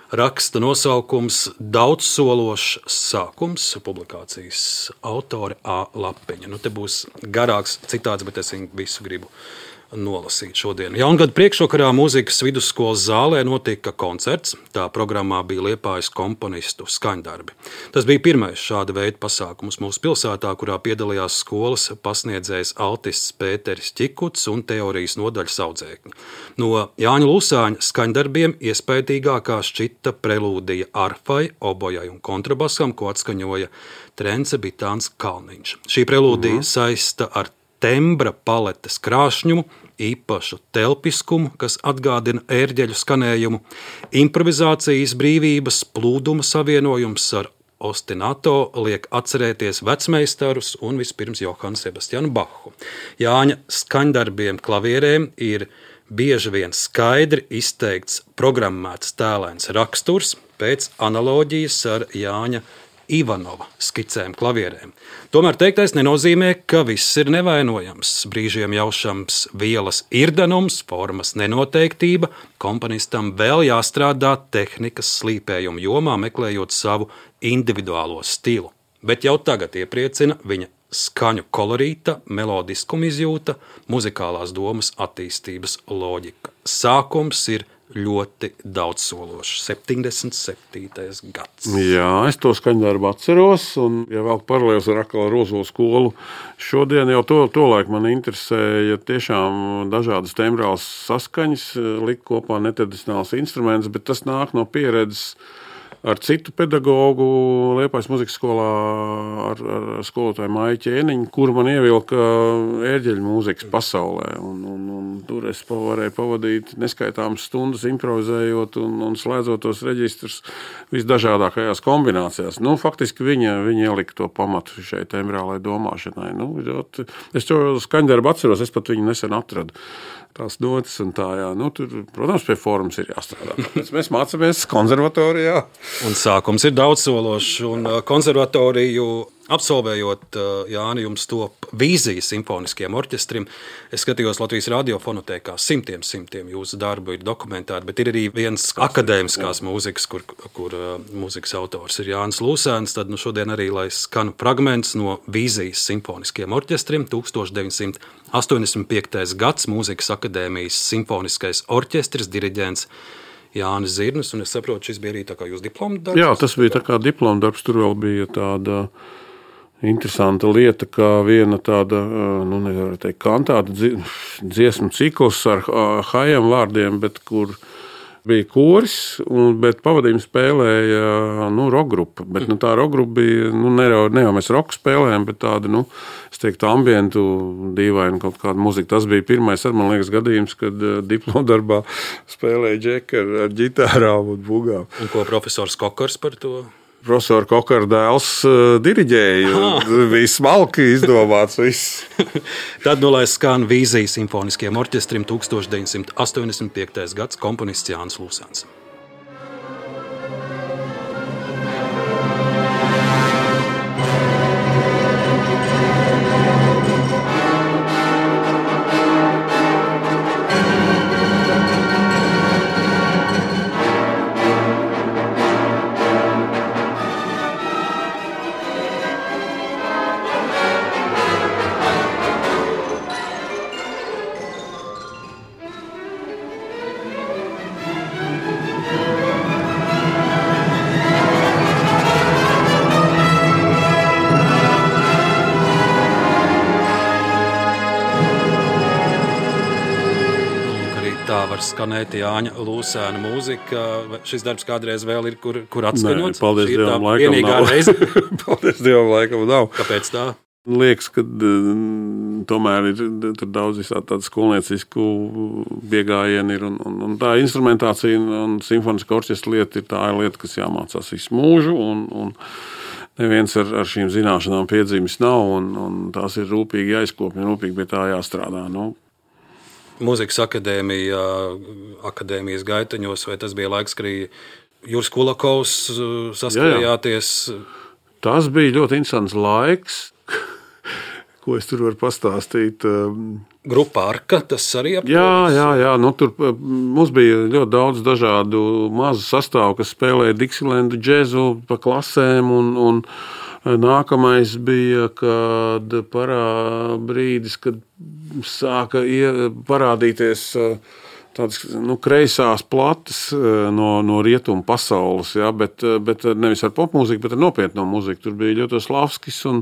Raksta nosaukums Daudzsološs sākums, publikācijas autore A. Lapiņa. Te būs garāks citāts, bet es viņu visu gribu nolasīt šodien. Jaungada priekšvakarā mūzikas vidusskolas zālē notika koncerts. Tā programmā bija Liepājas komponistu skaņdarbi. Tas bija pirmais šāda veida pasākums mūsu pilsētā, kurā piedalījās skolas pasniedzējs altists Pēteris Ķikuts un teorijas nodaļas audzēkņi. No Jāņa Lūsāņa skaņdarbiem iespaidīgākā šķita prelūdija arfai, obojai un kontrabasam, ko atskaņoja Trence Bitāns Kalniņš. Šī prelūdija saista ar tembra paletes krāšņumu, īpašu telpiskumu, kas atgādina ērģeļu skanējumu, improvizācijas brīvības plūduma savienojums ar ostinato liek atcerēties vecmeistarus un vispirms Johanu Sebastianu Bachu. Jāņa skaņdarbiem klavierēm ir bieži vien skaidri izteikts programmēts tēlēns raksturs pēc analoģijas ar Jāņa Ivanova skicēm klavierēm. Tomēr teiktais nenozīmē, ka viss ir nevainojams. Brīžiem jaušams vielas irdanums, formas nenoteiktība, komponistam vēl jāstrādā tehnikas slīpējuma jomā, meklējot savu individuālo stilu. Bet jau tagad iepriecina viņa skaņu kolorīta, melodiskuma izjūta, muzikālās domas attīstības loģika. Sākums ir ļoti daudzsološs. 77. gads. Jā, es to skaņdarbu atceros, un, ja vēl paralēlis ar Akala Rozolu skolu, šodien jau tolaik man interesēja tiešām dažādas tembrālas saskaņas, likt kopā netradicionāls instruments, bet tas nāk no pieredzes ar citu pedagogu Liepājas muzikas skolā, ar skolotāju Maiju Ķēniņu, kur man ievilka ērģeļu mūzikas pasaulē. Un tur es varēju pavadīt neskaitāmas stundas improvizējot un slēdzot tos reģistrus visdažādākajās kombinācijās. Faktiski viņa ielika to pamatu šai tembrālai domāšanai. Es to skaņdarbu atceros, es pat viņu nesen atradu. Tās notis un tā, jā. Tur, protams, pie formas ir jāstrādā. Tāpēc mēs mācāmies konservatorijā. Un sākums ir daudzsološs, un konservatoriju absolvējot, Jāni, jums top vīzijas simfoniskiem orķestrim. Es skatījos Latvijas radiofonotēkā simtiem jūsu darbu ir dokumentēti, bet ir arī viens akadēmiskās mūzikas, kur mūzikas autors ir Jānis Lūsēns. Tad šodien arī, lai skan fragments no vīzijas simfoniskiem orķestrim, 1985. gads, Mūzikas akadēmijas simfoniskais orķestris, diriģents Jānis Zirnis, un es saprotu, šis bija arī tā kā jūs diploma darbs? Jā, tas bija tā kā diploma darbs, tur vēl bija tāda interesanta lieta, kā viena tāda, nevar teikt, kantāta dziesmu cikls ar hajam vārdiem, bet kur bija koris, bet pavadījumu spēlēja rockgrupa. Bet tā rockgrupa bija, ne jau mēs roku spēlējām, bet tāda, es teiktu, ambientu dīvaina kaut kāda muzika. Tas bija pirmais, man liekas, gadījums, kad diplomdarbā spēlēja džeki ar ģitārām un bugām. Un ko profesors Kokars par to? Profesora Kokara dēls diriģēja. Bija smalki izdomāts viss. Tad lai skan vīzijas simfoniskiem orķestrim 1985. gads, komponists Jānis Lūsēns. Skanēt Jāņa Lūsēna mūzika. Šis darbs kādreiz vēl ir, kur atskaņots? Nē, paldies Dievam, laikam nav. Paldies Dievam, laikam nav. Kāpēc tā? Liekas, ka tomēr ir tur daudz tādu skolniecisku piegājienu ir, un tā instrumentācija un simfoniska orķestra lieta ir tā lieta, kas jāmācās visu mūžu, un neviens ar šīm zināšanām piedzīmis nav, un tās ir rūpīgi jāizkopja, rūpīgi pie tā jāstrādā. Mūzikas akadēmija, akadēmijas gaitaņos, vai tas bija laiks, kad Juris Kulakovs saskājāties? Tas bija ļoti interesants laiks, ko es tur varu pastāstīt. Grupa Arka, tas arī Jā. Nu, tur mums bija ļoti daudz dažādu mazu sastāvu, kas spēlēja Dixielandu džezu pa klasēm, un nākamais bija, kad brīdis, kad sāka parādīties tādas kreisās plates no rietumu pasaules, ja, bet nevis ar popmūziku, bet ar nopietno mūziku. Tur bija Ļotoslavskis un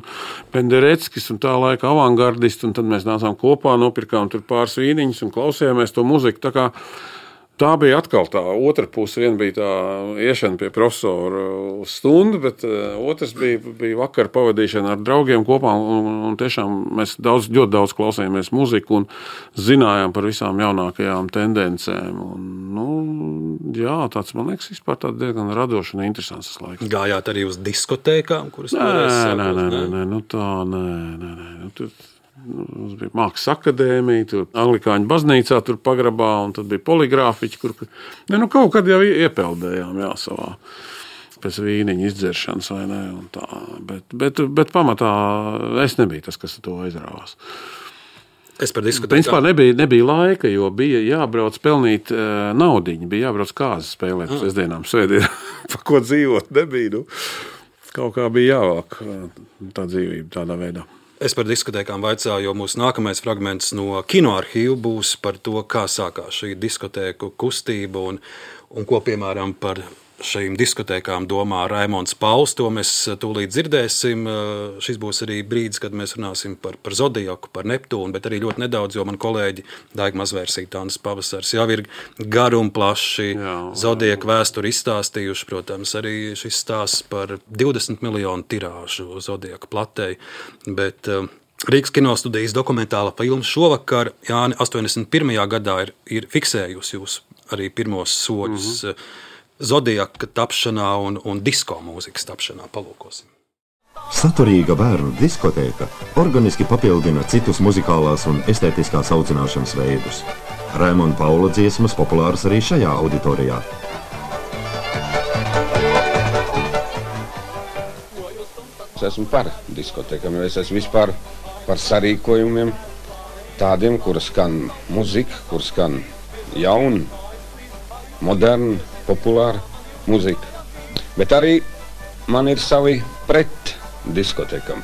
Pendereckis un tā laika avangardisti, un tad mēs nācām kopā, nopirkām tur pāris vīniņus un klausījāmies to mūziku. Tā bija atkal tā otra puse. Viena bija tā iešana pie profesora uz stundu, bet otrs bija vakar pavadīšana ar draugiem kopā, un tiešām mēs ļoti daudz klausījāmies mūziku un zinājām par visām jaunākajām tendencēm. Tāds, man liekas, vispār tāds diezgan radošs un interesants laiks. Gājāt arī uz diskotēkām, kuras Nē. Mums bija Mākslas akadēmija, tur Anglikāņu baznīcā tur pagrabā, un tad bija poligrāfiķi, kur kaut kad jau iepeldējām savā pēc vīniņa izdzeršanas, vai ne, un tā. Bet pamatā es nebiju tas, kas to aizrāvās. Es par diskotēkām. Principā nebija laika, jo bija jābrauc pelnīt naudiņu, bija jābrauc kāzas spēlēt sestdienām, svētdienām, pa ko dzīvot nebija. Kaut kā bija jāvāk tā dzīvība tādā veidā. Es par diskotēkām vaicāju, jo mūsu nākamais fragments no kinoarhīva būs par to, kā sākās šī diskotēku kustība un ko, piemēram, par šīm diskotēkām domā Raimonds Pauls. To mēs tūlīt dzirdēsim. Šis būs arī brīdis, kad mēs runāsim par Zodiaku, par Neptūnu, bet arī ļoti nedaudz, jo man kolēģi Daiga Mazvērsīte, Tānis Pavasars jau ir garu un plaši Zodiaku vēsturi izstāstījuši. Protams, arī šis stāsts par 20 miljonu tirāžu Zodiaku platei, bet Rīgas kinostudijas dokumentāla filma šovakar, Jāni, 81. gadā ir fiksējusi jūs arī pirmos soļus Zodiaka tapšanā un disko mūzikas tapšanā. Palūkosim. Saturīga bērnu diskotēka organiski papildina citus muzikālās un estētiskās audzināšanas veidus. Raimonda Paula dziesmas populāras arī šajā auditorijā. Es esmu par diskotēkām, jo es esmu vispār par sarīkojumiem tādiem, kur skan muzika, kur skan jauna, moderna, populāra muzika. Bet arī man ir savi pret diskotekam.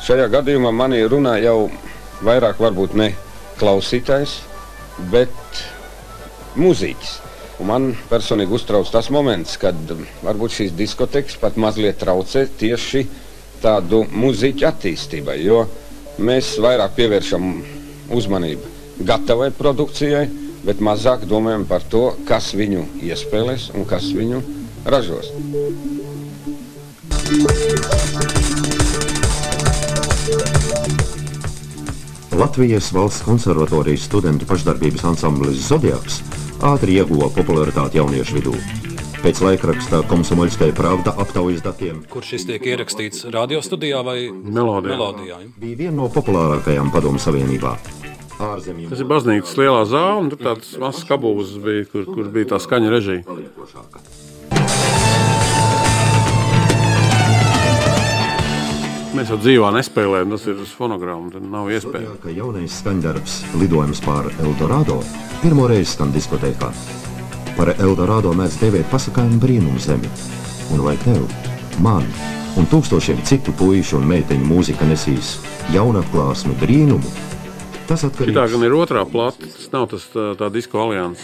Šajā gadījumā mani runā jau vairāk varbūt ne klausītājs, bet mūziķis. Un man personīgi uztrauc tas moments, kad varbūt šīs diskotekas pat mazliet traucē tieši tādu mūziķu attīstībai, jo mēs vairāk pievēršam uzmanību gatavai produkcijai, bet mazāk domājam par to, kas viņu iespēlēs un kas viņu ražos. Latvijas Valsts konservatorijas studentu pašdarbības ansamblis Zodiaks ātri ieguva popularitāti jauniešu vidū. Pēc laikraksta Komsomoļskaja Pravda aptaujas datiem... Kur šis tiek ierakstīts radiostudijā vai melodijā? Bija viena no populārākajām Padomu Savienībā. Tas ir baznīcas lielā zāle, un tur tāds mazs kabūzes bija, kur bija tā skaņa režija. Mēs jau dzīvā nespēlējam, tas ir uz fonogrammu, tad nav iespēja. Ka jaunais skaņdarbs lidojums pār Eldorado pirmoreiz skan diskotēkā. Par Eldorado mēdz dēvēt pasakājumu brīnumu zemi. Un vai tev, man un tūkstošiem citu puišu un meiteņu mūzika nesīs jaunatklāsmu brīnumu? Šitā gan ir otrā plata, tas nav tā disko alians,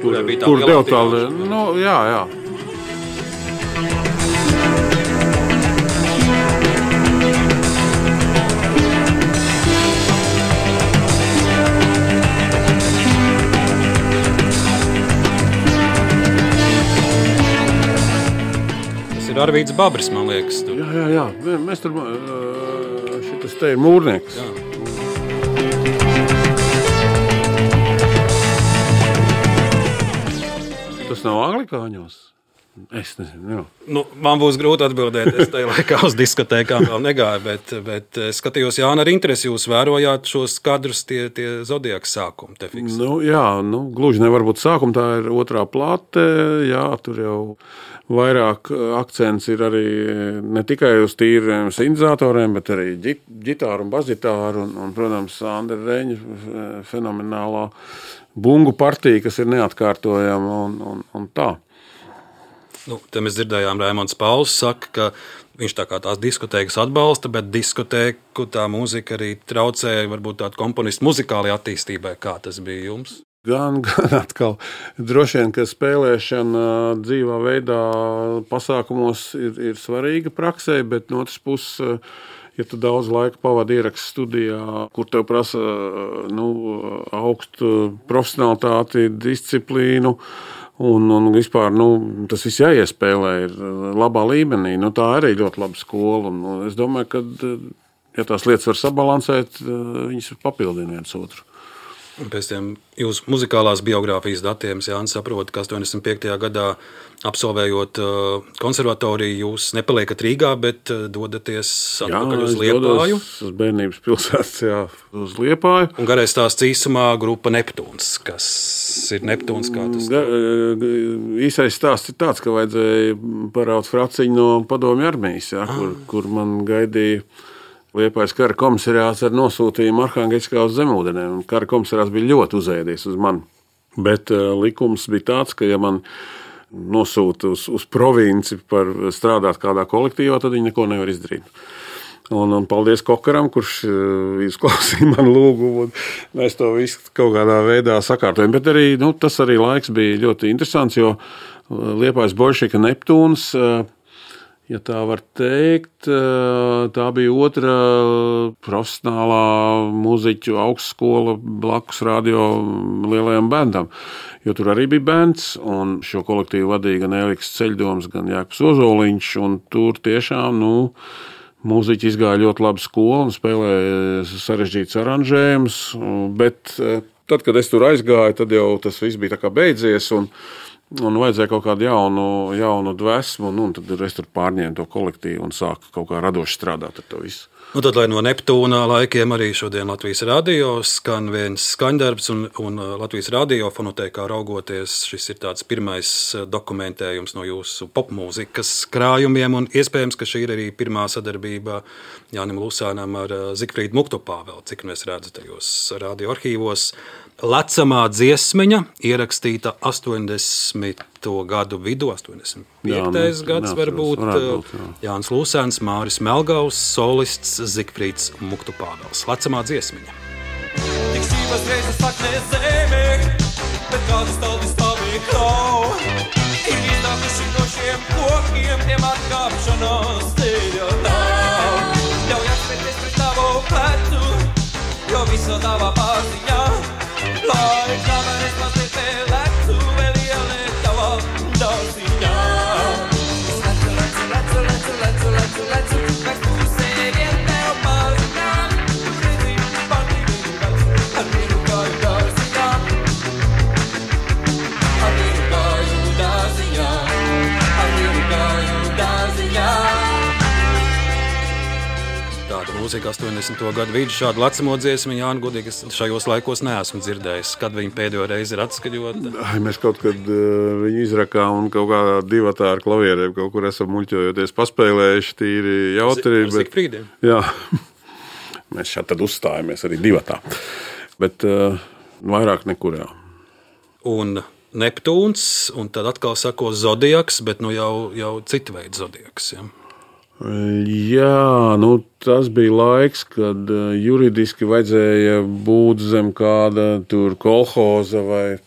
kur dev tādu, jā. Tas ir Arvīds Babris, man liekas. Tur. Jā, mēs tur, šitas te ir mūrnieks. Jā. Tas nav anglikāņos? Es nezinu, jā. Man būs grūti atbildēt. Es tajā laikā uz diskotēkām vēl negāju, bet skatījos, Jāni, ar interesi jūs vērojāt šos kadrus, tie Zodiaks sākumi. Gluži nevar būt sākumi, tā ir otrā plate, jā, tur jau vairāk akcents ir arī ne tikai uz tīriem sintēzatoriem, bet arī ģitāru un basģitāru un, protams, Andra Reņa fenomenālā bungu partija, kas ir neatkārtojama un tā. Te mēs dzirdējām, Raimonds Pauls saka, ka viņš tā kā tās diskotēkas atbalsta, bet diskotēku tā mūzika arī traucēja varbūt tādu komponistu muzikālajai attīstībai. Kā tas bija jums? Gan atkal droši vien, ka spēlēšana dzīvā veidā pasākumos ir svarīga praksē, bet no otras puses, ja tu daudz laika pavadi ierakstu studijā, kur tev prasa augstu profesionalitāti, disciplīnu, un vispār tas viss jāiespēlē ir labā līmenī. Tā arī ļoti laba skola. Un es domāju, ka, ja tās lietas var sabalansēt, viņas papildina viens otru. Pēc tiem jūsu muzikālās biogrāfijas datiem, Jānis, saprot, ka 85. gadā absolvējot konservatoriju, jūs nepaliekat Rīgā, bet dodaties atpakaļ uz Liepāju. Jā, uz bērnības pilsētas, uz Liepāju. Un garais stāsts īsumā grupa Neptūns. Kas ir Neptūns? Kā tas īsais stāsts ir tāds, ka vajadzēja paraut fraciņu no padomju armijas, kur man gaidīja Liepājas kara komisariāts ar nosūtījumu Arhangēļskā uz Zemūdenēm. Kara komisariāts bija ļoti uzēdies uz mani. Bet likums bija tāds, ka ja man nosūta uz provinci par strādāt kādā kolektīvā, tad viņi neko nevar izdarīt. Un paldies Kokaram, kurš izklausīja manu lūgumu, un mēs to visu kaut kādā veidā sakārtojam. Bet arī, tas arī laiks bija ļoti interesants, jo Liepājas Boļševika Neptūns, ja tā var teikt, tā bija otra profesionālā muziķu augstskola blakus radio lielajam bendam. Jo tur arī bija bends, un šo kolektīvu vadīja gan Eliks Ceļdoms, gan Jākps Ozoliņš, un tur tiešām, mūziķi izgāja ļoti labu skolu un spēlēja sarežģītus aranžējumus, bet tad, kad es tur aizgāju, tad jau tas viss bija tā kā beidzies, un vajadzēja kaut kādu jaunu dvēsmu, un tad es tur pārņēmu to kolektīvu un sāku kaut kā radoši strādāt ar to visu. Tad, lai no Neptūna laikiem arī šodien Latvijas radio skan viens skaņdarbs, un Latvijas radio fonotēkā raugoties, šis ir tāds pirmais dokumentējums no jūsu popmūzikas krājumiem, un iespējams, ka šī ir arī pirmā sadarbība Jānim Lusānam ar Zigfrīdu Muktupāveli, cik mēs redzu tajos radio arhīvos. Lecamā dziesmiņa ierakstīta 80. gadu vidū, 85. gads varbūt. Jānis Lusāns, Māris Melgaus, solists Zigfrīds Muktupāvels. Lecamā dziesmiņa. Tik šķības reizes saknē zemē, bet kādas taldi stāvī klau. Ir iznākuši no šiem kokiem, tiem atkāpšanās ceļa nav. Ļauj atspērties pret tavu plecu, jo visu tavā pārziņā. Lai kameras mazliet lecu, vēl ieliek tavā dārziņā. Lecu, pēc pusē vien tev pārziņā. Tu redzi, pārtīvi vecu, ar vienu kāju dārziņā. Ar vienu kāju dārziņā. Ar vienu kāju dārziņā. Tāda mūzika 80. gadu vidus, šādu lecamo dziesmu, Jāni, godīgi, es šajos laikos neesmu dzirdējis. Kad viņi pēdējo reizi ir atskaļota? Mēs kaut kad viņu izrakām un kaut kādā divatā ar klavierēm kaut kur esam muļķojoties paspēlējuši tīri jautri. Ar Zigfrīdiem? Jā, mēs šādi tad uzstājamies arī divatā, bet vairāk nekur jā. Un Neptūns, un tad atkal sako Zodiaks, bet jau citu veidu Zodiaks, ja? Jā, tas bija laiks, kad juridiski vajadzēja būt zem kāda tur kolhoza vai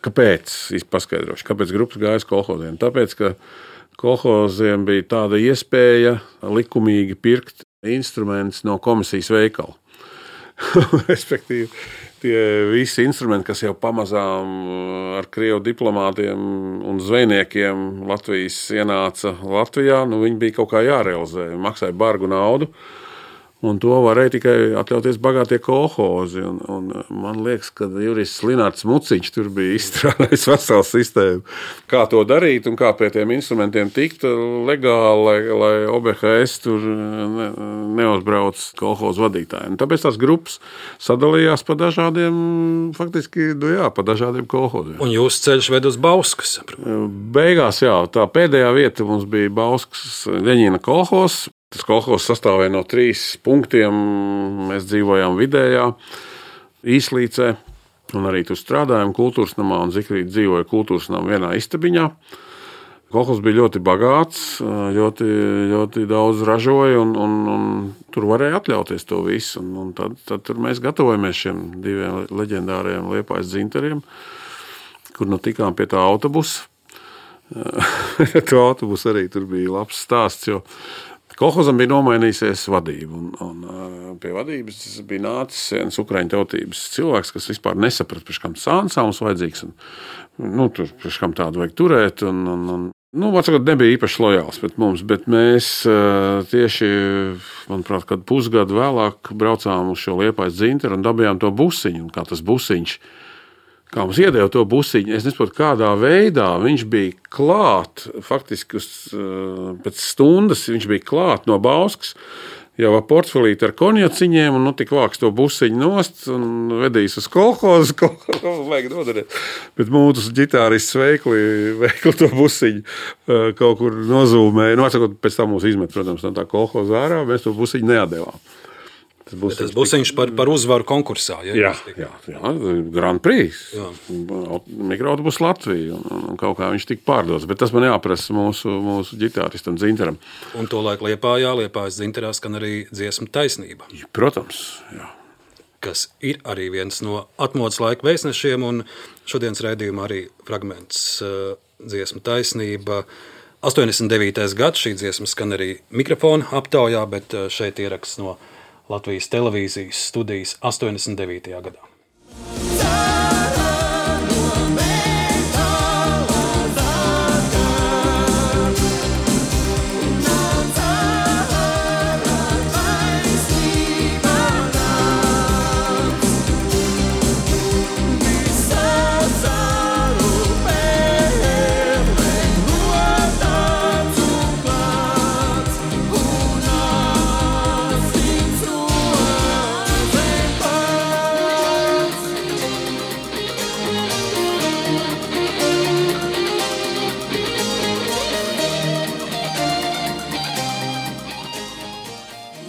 kāpēc, paskaidrošu, kāpēc grupas gāja uz kolhoziem. Tāpēc, ka kolhoziem bija tāda iespēja likumīgi pirkt instrumentus no komisijas veikala. Respektīvi, tie visi instrumenti, kas jau pamazām ar krievu diplomātiem un zvejniekiem Latvijas ienāca Latvijā, viņi bija kaut kā jārealizē, maksāja bargu naudu. Un to varēja tikai atļauties bagātie kolhozi. Un man liekas, ka Juris Linārds Muciņš tur bija izstrādājis veselu sistēmu, kā to darīt un kā pie tiem instrumentiem tikt legāli, lai OBHS tur neuzbrauc kolhozu vadītājiem. Tāpēc tās grupas sadalījās pa dažādiem, faktiski, pa dažādiem kolhoziem. Un jūsu ceļš ved uz Bauskas? Beigās, jā, tā pēdējā vieta mums bija Bauskas Ļeņina kolhozs. Tas kolhozs sastāvēja no 3 punktiem. Mēs dzīvojām vidējā Īslīcē, un arī tur strādājām kultūras namā, un Zikrīte dzīvoja kultūras namā vienā istabiņā. Kolhozs bija ļoti bagāts, ļoti daudz ražoja, un tur varēja atļauties to visu. Un tad tur mēs gatavojamies šiem 2 leģendāriem Liepājas dzintariem, kur nu tikām pie tā autobusa. To autobusu arī tur bija labs stāsts, jo kolhozam bija nomainījusies vadība, un pie vadības bija nācis viens ukraiņu tautības cilvēks, kas vispār nesaprata, pēc kam sānsāms vajadzīgs, un tur pēc kam tādu vajag turēt, un vārdsakot, nebija īpaši lojāls pret mums, bet mēs tieši, manuprāt, kad pusgadu vēlāk braucām uz šo Liepājas dzintaru un dabījām to busiņu, un kā tas busiņš, kā mums iedeva to busiņu, es nesaprotu, kādā veidā viņš bija klāt, faktiski pēc stundas viņš bija klāt no Bauskas, jau ar portfelīti ar konjaciņiem, un tik vāks to busiņu nost un vedīs uz kolhozu, vajag nodarīt. Bet mūsu ģitārists veikli to busiņu kaut kur nozūmēja. Atsakot, pēc tam mūs izmet, protams, no tā kolhoza ārā, mēs to busiņu neatdevām. Tas busiņš par uzvaru konkursā. Jā, Grand Prix, mikroautobus Latvija, un kaut kā viņš tika pārdots, bet tas man jāprasa mūsu ģitāristam dzintaram. Un to laiku Liepājas dzintarā skan arī dziesma Taisnība. Protams, jā. Kas ir arī viens no atmodas laika vēstnešiem, un šodienas raidījumā arī fragments dziesma Taisnība. 89. gads šī dziesma skan arī mikrofona aptaujā, bet šeit ieraksts no Latvijas televīzijas studijas 89. gadā. Uh,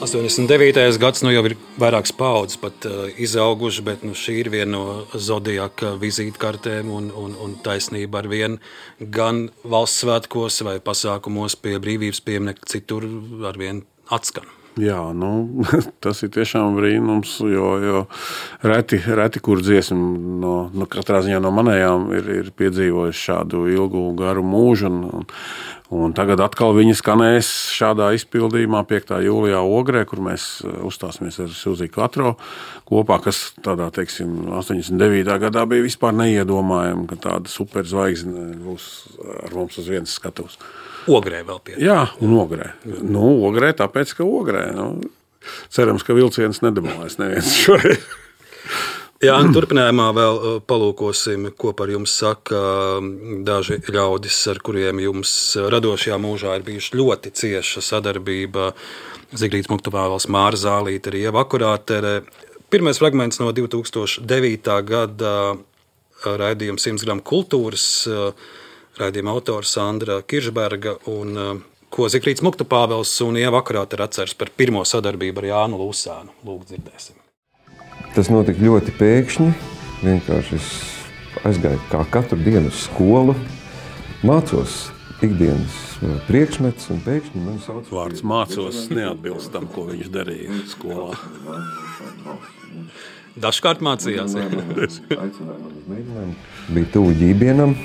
89. gads jau ir vairākas paudzes pat izauguši, bet šī ir viena no Zodiaka vizītkartēm un taisnība ar vienu gan valsts svētkos vai pasākumos pie brīvības pieminekļa, citur ar vienu atskan. Jā, tas ir tiešām brīnums, jo reti kur dziesma katrā ziņā no manējām ir piedzīvojuši šādu ilgu, garu mūžu, un tagad atkal viņi skanēs šādā izpildījumā 5. jūlijā Ogrē, kur mēs uzstāsimies ar Silziju Katro kopā, kas tādā, 89. gadā bija vispār neiedomājama, ka tāda superzvaigzne būs ar mums uz vienas skatuves. Ogrē vēl pie. Jā, un Ogrē. Ogrē, tāpēc, ka Ogrē. Cerams, ka vilciens nedabūs neviens šoreiz. Jā, turpinājumā vēl palūkosim, ko par jums saka daži ļaudis, ar kuriem jums radošajā mūžā ir bijuši ļoti cieša sadarbība. Zikrītes Muktupāvels, Māra Zālīte, arī Ieva Akurātere. Pirmais fragments no 2009. gada raidījuma 100 gramu kultūras. Raidījuma autors Sandra Kiršberga, un ko Zikrītes Muktupāvels un Ieva Akurātere atceras par pirmo sadarbību ar Jānu Lūsēnu. Lūk, dzirdēsim. Tas notika ļoti pēkšņi. Vienkārši es aizgāju kā katru dienu uz skolu, mācos ikdienas priekšmets, un pēkšņi man sauc... Vārds mācos neatbilst tam, ko viņš darīja skolā. Dažkārt mācījās. Bija tuvu ģībienam.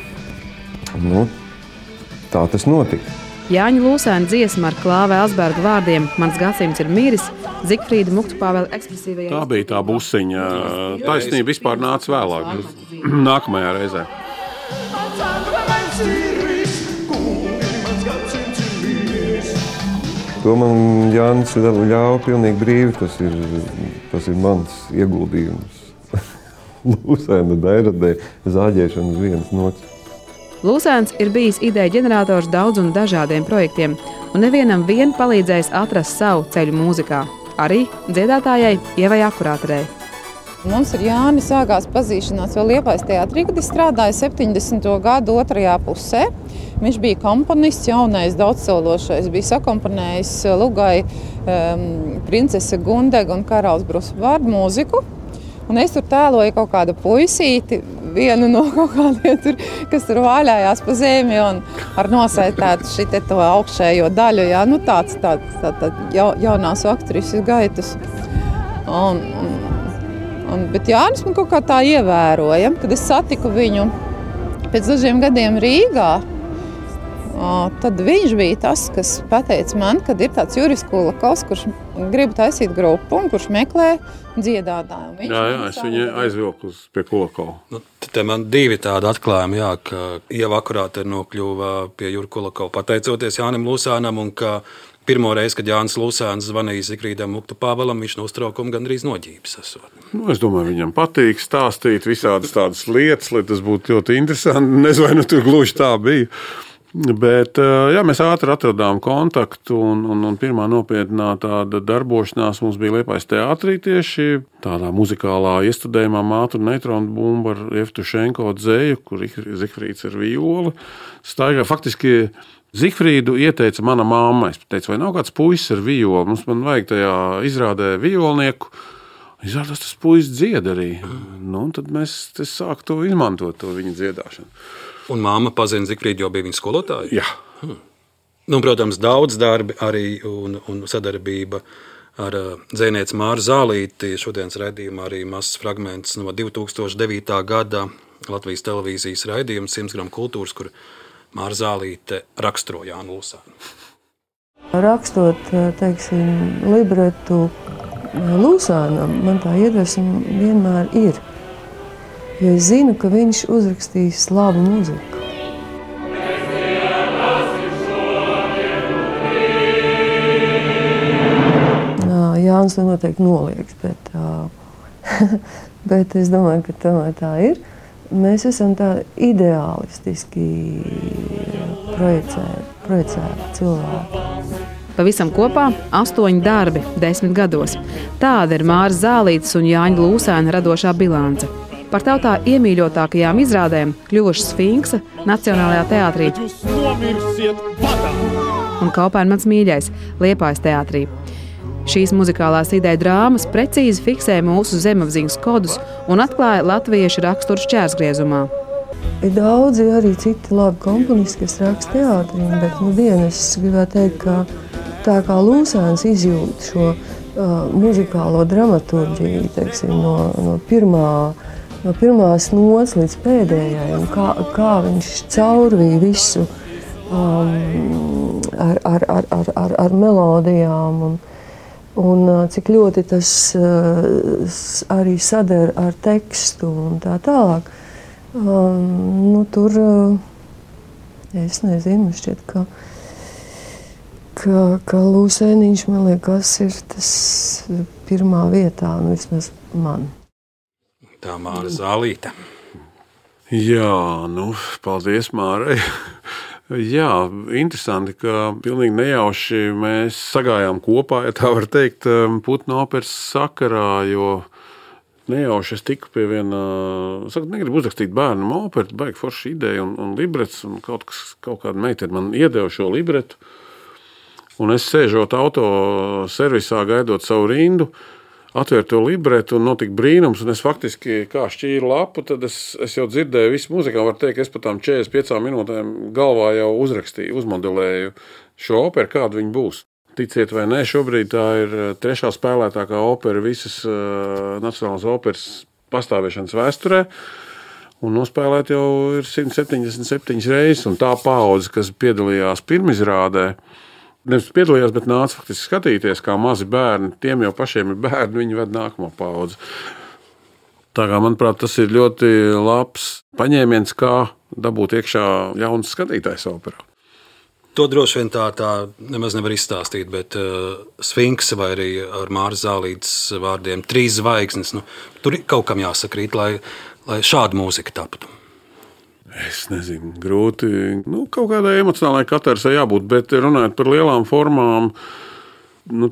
Tā tas notika. Jāņa Lūsēna dziesma ar Klāva Elsberga vārdiem Mans gadsimts ir miris, Zigfrīda Muktupāvela ekspresīvajā. Tā bija tā busiņa. Taisnība vispār nāca vēlāk, nākamajā reizē. To man Jānis ļauj pilnīgi brīvi. Tas ir mans ieguldījums. Lūsēna dairadē zāģēšana uz vienas nots. Lūsēns ir bijis ideja ģenerators daudz un dažādiem projektiem, un nevienam vien palīdzējis atrast savu ceļu mūzikā. Arī dziedātājai Ievai Akurāterei. Mums ar Jāni sākās pazīšanās vēl Liepājas teātrī, kad es strādāju 70. gadu otrajā pusē. Viņš bija komponists, jaunais, daudzsološais, bija sakomponējis Lugai princese Gundega un karalis Brusvārdu mūziku. Un es tur tēloju kaut kādu puisīti, vienu no kaut kādiem tur, kas tur vāļājās pa zemi un ar nosaitētu šite to augšējo daļu, jā, nu tāds jaunās aktrises gaitas. Bet Jānis man kaut kā tā ievēroja, kad es satiku viņu pēc dažiem gadiem Rīgā. Tad viņš bija tas, kas pateica man, kad ir tāds Juris Kulakovs, kurš grib taisīt grupu un kurš meklē dziedātāju. Jā, es viņu aizvilku pie Kulakova. Nu, te man divi tādi atklājumi, jā, ka Ieva Akurāteri nokļuva pie Jura Kulakova pateicoties Jānim Lūsēnam un ka pirmo reizi, kad Jānis Lūsēns zvanīja Zikfrīdam Muktu Pāvelam, viņš no uztraukuma gandrīz noģības esot. Nu, es domāju, viņam patīk stāstīt visādas tādas lietas, lai tas būtu ļoti interesanti. Nezinu, vai tur gluži tā bija. Bet jā, mēs ātri atradām kontaktu un pirmā nopietnā tāda darbošanās mums bija Liepājas teātrī tieši tādā muzikālā iestudējumā Mātu un Neitronu bumbu ar Jevtušenko dzēju, kur Zikfrīds ar violi staigā. Faktiski Zikfrīdu ieteica mana mamma. Es teicu, vai nav kāds puisis ar violi? Man vajag tajā izrādē violnieku. Izrādās tas puisis dzied arī. Nu, tad es sāku to izmantot, to viņa dziedāšanu. Un māma pazina Zikfrīdu, jo bija viņa skolotāja? Jā. Nu, protams, daudz darbi arī un sadarbība ar dzejnieci Māru Zālīti. Šodienas raidījumā arī mazs fragments no 2009. gada Latvijas televīzijas raidījums 100 gramu kultūras, kur Māra Zālīte raksturo Jānu Lūsēnu. Rakstot, teiksim, libretu Lūsēnam, man tā iedvesma vienmēr ir. Jo es zinu, ka viņš uzrakstīs labu mūziku. Jānis to noteikti nolieks, bet es domāju, ka tomēr tā ir. Mēs esam tā ideālistiski projicēti cilvēki. Pavisam kopā 8 darbi 10 gados. Tāda ir Māras Zālītes un Jāņa Lūsēna radošā bilance. Par tautā iemīļotākajām izrādēm kļuvuši Sfinksa Nacionālajā teātrī un Kaupēna mīļais Liepājas teātrī. Šīs muzikālās ideja drāmas precīzi fiksē mūsu zemapziņas kodus un atklāja latviešu raksturu šķērsgriezumā. Ir daudzi arī citi labi komponisti, kas raksta teātrī, bet es gribētu teikt, ka tā kā Lūsēns izjūt šo muzikālo dramaturģiju, teiksim, no pirmās nots līdz pēdējai, un kā viņš caurvīja visu ar melodijām, un cik ļoti tas arī sadara ar tekstu un tā tālāk. Tur, es nezinu, šķiet, ka Lūsēniņš, man liekas, ir tas pirmā vietā, vismaz man. Tā Māra Zālīte. Jā, paldies Mārai. Jā, interesanti, ka pilnīgi nejauši mēs sagājām kopā, ja tā var teikt, Putnu operas sakarā, jo nejauši es tiku pie viena, negribu uzrakstīt bērnam operu, baigi forša ideja un librets, un kaut kāda meitene man iedeva šo libretu, un es sēžot auto servisā, gaidot savu rindu, atvērt to libretu un notika brīnums, un es faktiski kā šķīru lapu, tad es jau dzirdēju visu mūziku, var teikt, es pat tām 45 minūtēm galvā jau uzrakstīju, uzmodelēju šo operu, kāda viņa būs. Ticiet vai nē, šobrīd tā ir 3. spēlētākā opera visas Nacionālās operas pastāvēšanas vēsturē, un nospēlēt jau ir 177 reizes, un tā paudze, kas piedalījās pirmizrādē, nevis piedalījās, bet nāca faktiski skatīties, kā mazi bērni, tiem jau pašiem ir bērni, viņi ved nākamo paudzi. Tā kā, manuprāt, tas ir ļoti labs paņēmiens, kā dabūt iekšā jauns skatītājs operā. To droši vien tā nemaz nevar izstāstīt, bet Sfinksa vai arī ar Māras Zālītes vārdiem 3 zvaigznes, tur kaut kam jāsakrīt, lai šāda mūzika taptu. Es nezinu, grūti. Kaut kādai emocionālai katersai jābūt, bet runājot par lielām formām,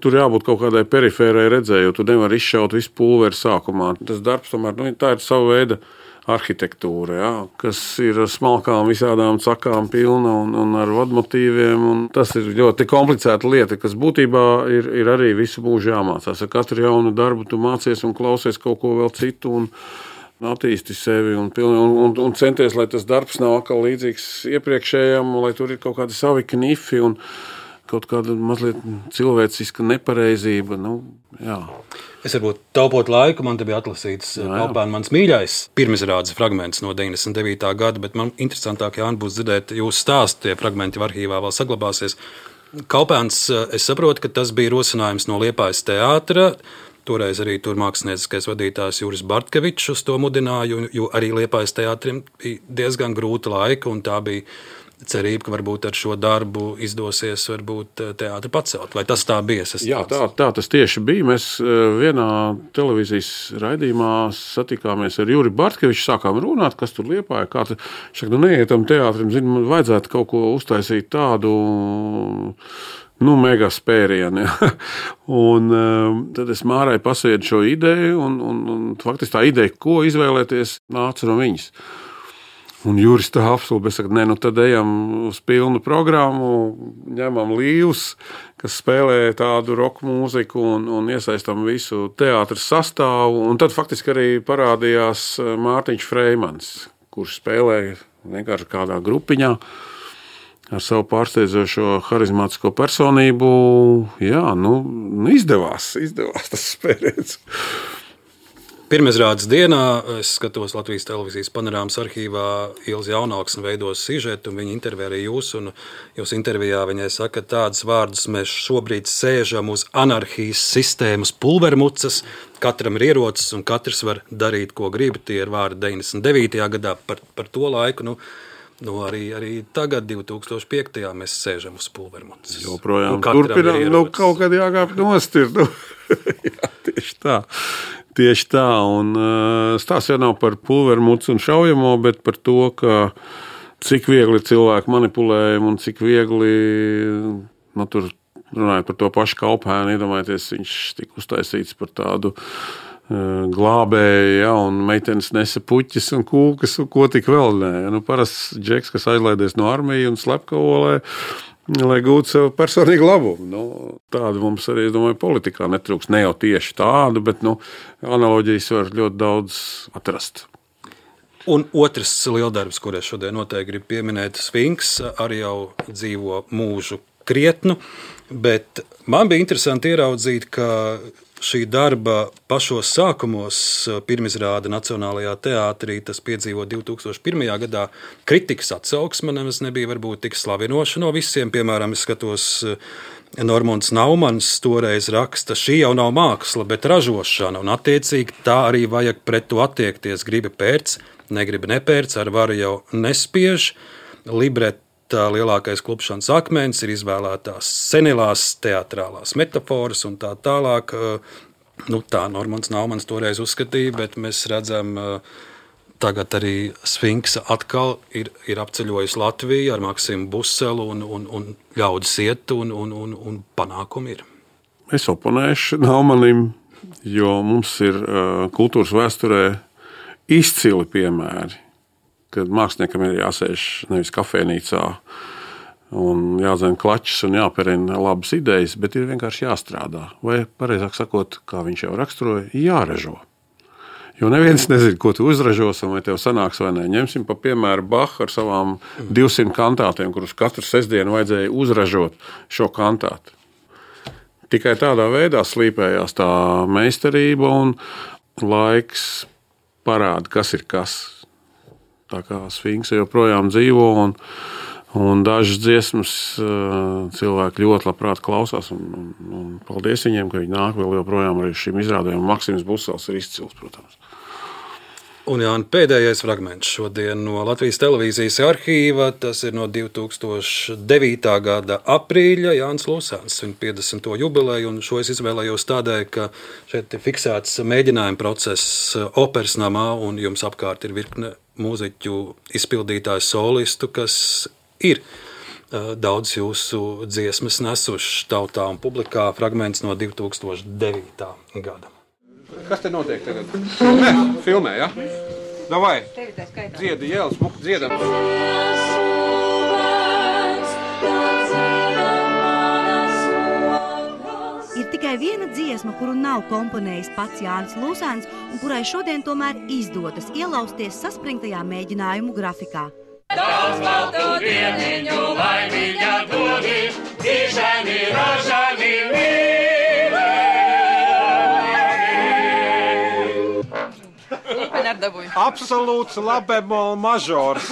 tur jābūt kaut kādai perifērai redzēju, tu nevari izšaut visu pulveri sākumā. Tas darbs tomēr, tā ir sava veida arhitektūra, ja, kas ir smalkām visādām cakām pilna un ar vadmotīviem. Un tas ir ļoti komplicēta lieta, kas būtībā ir arī visu mūžu jāmācās. Ar katru jaunu darbu tu mācies un klausies kaut ko vēl citu un attīsti sevi un centies, lai tas darbs nav atkal līdzīgs iepriekšējam, lai tur ir kaut kādi savi knifi un kaut kāda mazliet cilvēciska nepareizība. Jā. Es varbūt taupot laiku, man te bija atlasīts Kalpēna mans mīļais pirmizrādes fragments no 99. gada, bet man interesantāk, Jāni, būs dzirdēt jūsu stāstu, tie fragmenti arhīvā vēl saglabāsies. Kalpēns, es saprotu, ka tas bija rosinājums no Liepājas teātra, toreiz arī tur mākslinieckais vadītājs Juris Bartkevičs uz to mudināja, jo arī Liepājas teātrim bija diezgan grūta laika, un tā bija cerība, ka varbūt ar šo darbu izdosies teātri pacelt. Vai tas tā bija? Jā, tā tas tieši bija. Mēs vienā televīzijas raidījumā satikāmies ar Juri Bartkeviču, sākām runāt, kas tur Liepāja. Neietam teātrim, man vajadzētu kaut ko uztaisīt tādu mega spērienu. Ja. Un tad es Mārai pasviedu šo ideju, un faktiski tā ideja, ko izvēlēties, nāca no viņas. Un Juris tā apstulba, es saku, tad ejam uz pilnu programmu, ņemam līvus, kas spēlē tādu rock mūziku un iesaistam visu teātras sastāvu. Un tad faktiski arī parādījās Mārtiņš Freimans, kurš spēlēja vienkārši kādā grupiņā ar savu pārsteidzošo harizmātisko personību. Jā, izdevās tas spēriens. Pirmizrādes dienā es skatos Latvijas televīzijas panorāmas arhīvā, Ilze Jaunauksne veidos sižetu, un viņa intervijā arī jūs, un jūs intervijā viņai saka, tādus vārdus mēs šobrīd sēžam uz anarhijas sistēmas pulvermucas, katram ir ierocis un katrs var darīt, ko grib. Tie ir vārdi 99. gadā par to laiku. Arī tagad, 2005. mēs sēžam uz pulvermucas. Joprojām turpinām, kaut kad jākāp nost ir. Jā, tieši tā. Un stāsts jau nav par pulvermucu un šaujamo, bet par to, ka cik viegli cilvēki manipulējumi un cik viegli, tur runājot par to pašu Kalpēnu, iedomājieties, viņš tika uztaisīts par tādu glābēju, ja, un meitenes nesa puķis un kūkas un ko tik vēl nē. Parasts džeks, kas aizlaidies no armiju un slepkavo, lai gūtu sev personīgu labumu. Tādu mums arī, es domāju, politikā netrūks. Ne jau tieši tādu, bet analoģijas var ļoti daudz atrast. Un otrs lieldarbs, kur es šodien noteikti gribu pieminēt, Sfinks, arī jau dzīvo mūžu krietnu, bet man bija interesanti ieraudzīt, ka šī darba pašos sākumos pirmizrāde Nacionālajā teātrī, tas piedzīvo 2001. gadā. Kritikas atsauksme nemaz nebija varbūt tik slavinoša no visiem. Piemēram, es skatos, Normunds Naumans toreiz raksta, šī jau nav māksla, bet ražošana, un attiecīgi tā arī vajag pret to attiekties. Gribi pērc, negribi nepērc, ar varu jau nespiež. Libreta lielākais klupšanas akmens ir izvēlētās senilās teatrālās metaforas un tā tālāk. Tā Normunds Naumans toreiz uzskatīja, bet mēs redzam, tagad arī Sfinksa atkal ir apceļojis Latviju ar Maksimu Buselu un ļaudis iet un panākumi ir. Es oponēšu Naumanim, jo mums ir kultūras vēsturē izcili piemēri, kad māksliniekam ir jāsēž nevis kafejnīcā un jādzēn klačs un jāperina labas idejas, bet ir vienkārši jāstrādā. Vai, pareizāk sakot, kā viņš jau raksturoja, jāražo. Jo neviens nezina, ko tu uzražos un vai tev sanāks vai ne. Ņemsim pa piemēru Bahu ar savām 200 kantātiem, kurus katru sestdienu vajadzēja uzražot šo kantātu. Tikai tādā veidā slīpējās tā meistarība un laiks parāda, kas ir kas. Tā kā Sfinksa joprojām dzīvo un dažas dziesmas cilvēki ļoti labprāt klausās. Un paldies viņiem, ka viņi nāk vēl joprojām arī šim izrādēm. Maksims Busels ir izcils, protams. Un Jāni, pēdējais fragments šodien no Latvijas televīzijas arhīva, tas ir no 2009. gada aprīļa, Jānis Lūsāns, viņa 50. jubileju, un šo es izvēlējos tādēļ, ka šeit ir fiksēts mēģinājuma process operas namā, un jums apkārt ir virkne mūziķu izpildītāju solistu, kas ir daudz jūsu dziesmas nesuši tautā un publikā, fragments no 2009. gada. Kas te notiek tagad? Filmē, ja? Davai, dziedi, jēl, smuki dziedam. Ir tikai viena dziesma, kuru nav komponējis pats Jānis Lūsāns, un kurai šodien tomēr izdodas ielausties saspringtajā mēģinājumu grafikā. Daudz baltu dieniņu, laimīga dodi, dzīšani, ražani, Absolūts labemol mažors.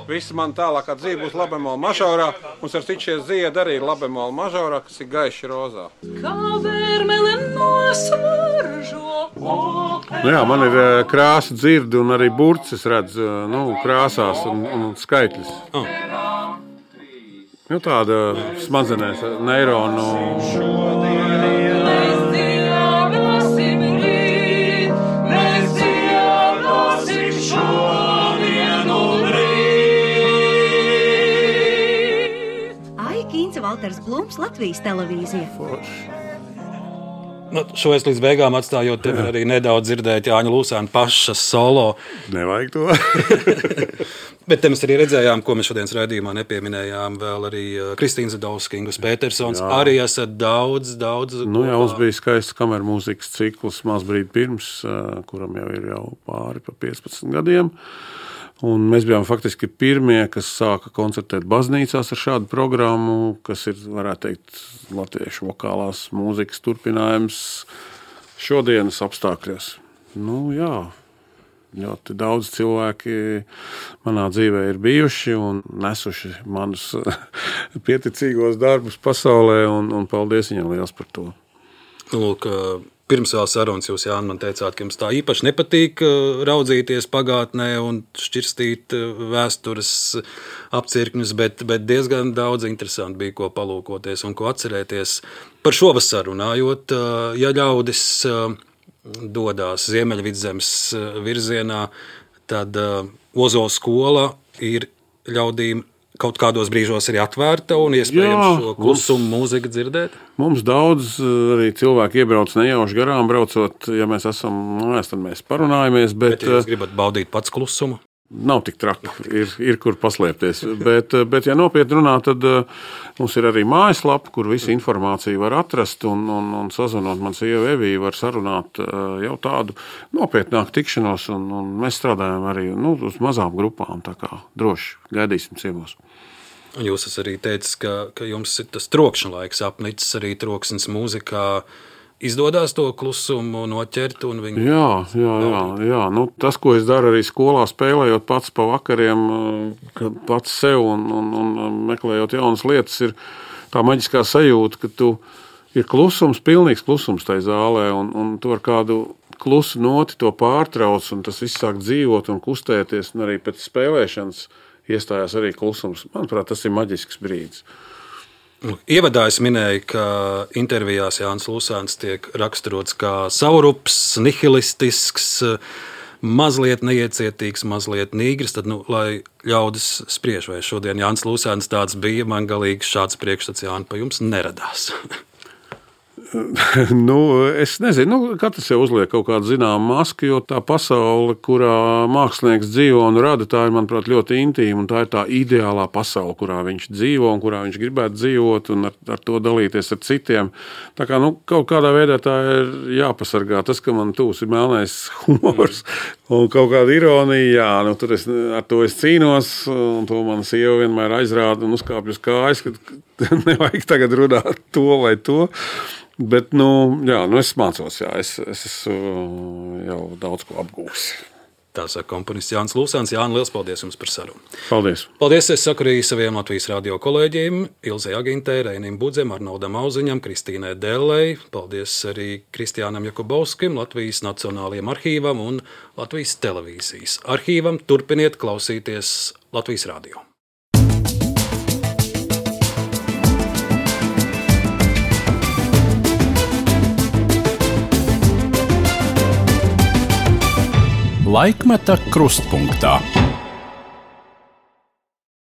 Visi man tālākā dzīve būs labemol mažorā. Mums ar citu šie dziedi arī ir labemol mažorā, kas ir gaiši rozā. Jā, man ir krāsa dzirdi un arī burcis redz krāsās un skaitļus. Tāda smadzenēs neironu. Valters Blums, Latvijas televīzija. Šo es līdz beigām atstājot, tev arī nedaudz dzirdēt Jāņa Lūsāna paša solo. Nevajag to. Bet te mēs arī redzējām, ko mēs šodienas raidījumā nepieminējām, vēl arī Kristīna Zadovska, Ingus Petersons, arī esat daudz. Mums bija skaists kameru mūzikas cikls Mazbrīd pirms, kuram jau ir pāri pa 15 gadiem. Un mēs bijām faktiski pirmie, kas sāka koncertēt baznīcās ar šādu programmu, kas ir, varētu teikt, latviešu vokālās mūzikas turpinājums šodienas apstākļos. Ļoti daudz cilvēki manā dzīvē ir bijuši un nesuši manus pieticīgos darbus pasaulē, un paldies viņam liels par to. Lūk, pirms vēl sarunas jūs, Jāni, man teicāt, ka jums tā īpaši nepatīk raudzīties pagātnē un šķirstīt vēstures apcirkņus, bet diezgan daudz interesanti bija, ko palūkoties un ko atcerēties. Par šovasaru runājot, ja ļaudis dodās Ziemeļvidzemes virzienā, tad Ozola skola ir ļaudīm kaut kādos brīžos ir atvērta un iespējams šo klusumu mūziku dzirdēt? Mums daudz arī cilvēki iebrauc nejauši garām braucot, ja mēs esam mājās, tad mēs parunājamies. Bet ja jūs gribat baudīt pats klusumu? Nav tik traki, ir kur paslēpties. Bet ja nopietni runā, tad mums ir arī mājaslapa, kur visu informāciju var atrast un sazvanot man sieva Evija var sarunāt jau tādu nopietnāku tikšanos, un mēs strādājam arī uz mazām grupām, tā kā droši gaidīsim ciemos. Un jūs esat arī teicis, ka jums ir tas trokšņa laiks apnicis, arī troksnis mūzikā. Izdodas to klusumu noķert un viņu... Jā. Tas, ko es daru arī skolā, spēlējot pats pa vakariem, pats sev un meklējot jaunas lietas, ir tā maģiskā sajūta, ka tu ir klusums, pilnīgs klusums tai zālē, un tu ar kādu klusu noti to pārtrauc, un tas viss sāk dzīvot un kustēties, un arī pēc spēlēšanas iestājās arī klusums. Manuprāt, tas ir maģisks brīdis. Ievadā es minēju, ka intervijās Jānis Lūsāns tiek raksturots kā saurups, nihilistisks, mazliet neiecietīgs, mazliet nīgrs. Tad, lai ļaudis spriež, vai šodien Jānis Lūsāns tāds bija, man galīgi šāds priekšstats, Jāni, pa jums neradās. Es nezinu, katrs jau uzliek kaut kādu zināmu masku, jo tā pasaule, kurā mākslinieks dzīvo un rada, tā ir, manuprāt, ļoti intīma, un tā ir tā ideālā pasaule, kurā viņš dzīvo un kurā viņš gribētu dzīvot un ar to dalīties ar citiem. Tā kā, kaut kādā veidā tā ir jāpasargā. Tas, ka man tūs ir melnais humors un kaut kāda ironija, tur ar to es cīnos, un to man sieva vienmēr aizrāda un uzkāpj uz kājas, ka nevajag tagad runāt to vai to. Bet, es mācos, es esmu jau daudz ko apgūsi. Tā saka komponists Jānis Lūsēns. Jāni, liels paldies jums par sarunu. Paldies. Paldies, es saku arī saviem Latvijas radio kolēģiem, Ilzei Agintei, Reinim Budzem, Arnoldam Auziņam, Kristīnai Dellei. Paldies arī Kristiānam Jakubovskim, Latvijas Nacionālajiem arhīvam un Latvijas televīzijas arhīvam. Turpiniet klausīties Latvijas radio. Laikmeta krustpunktā.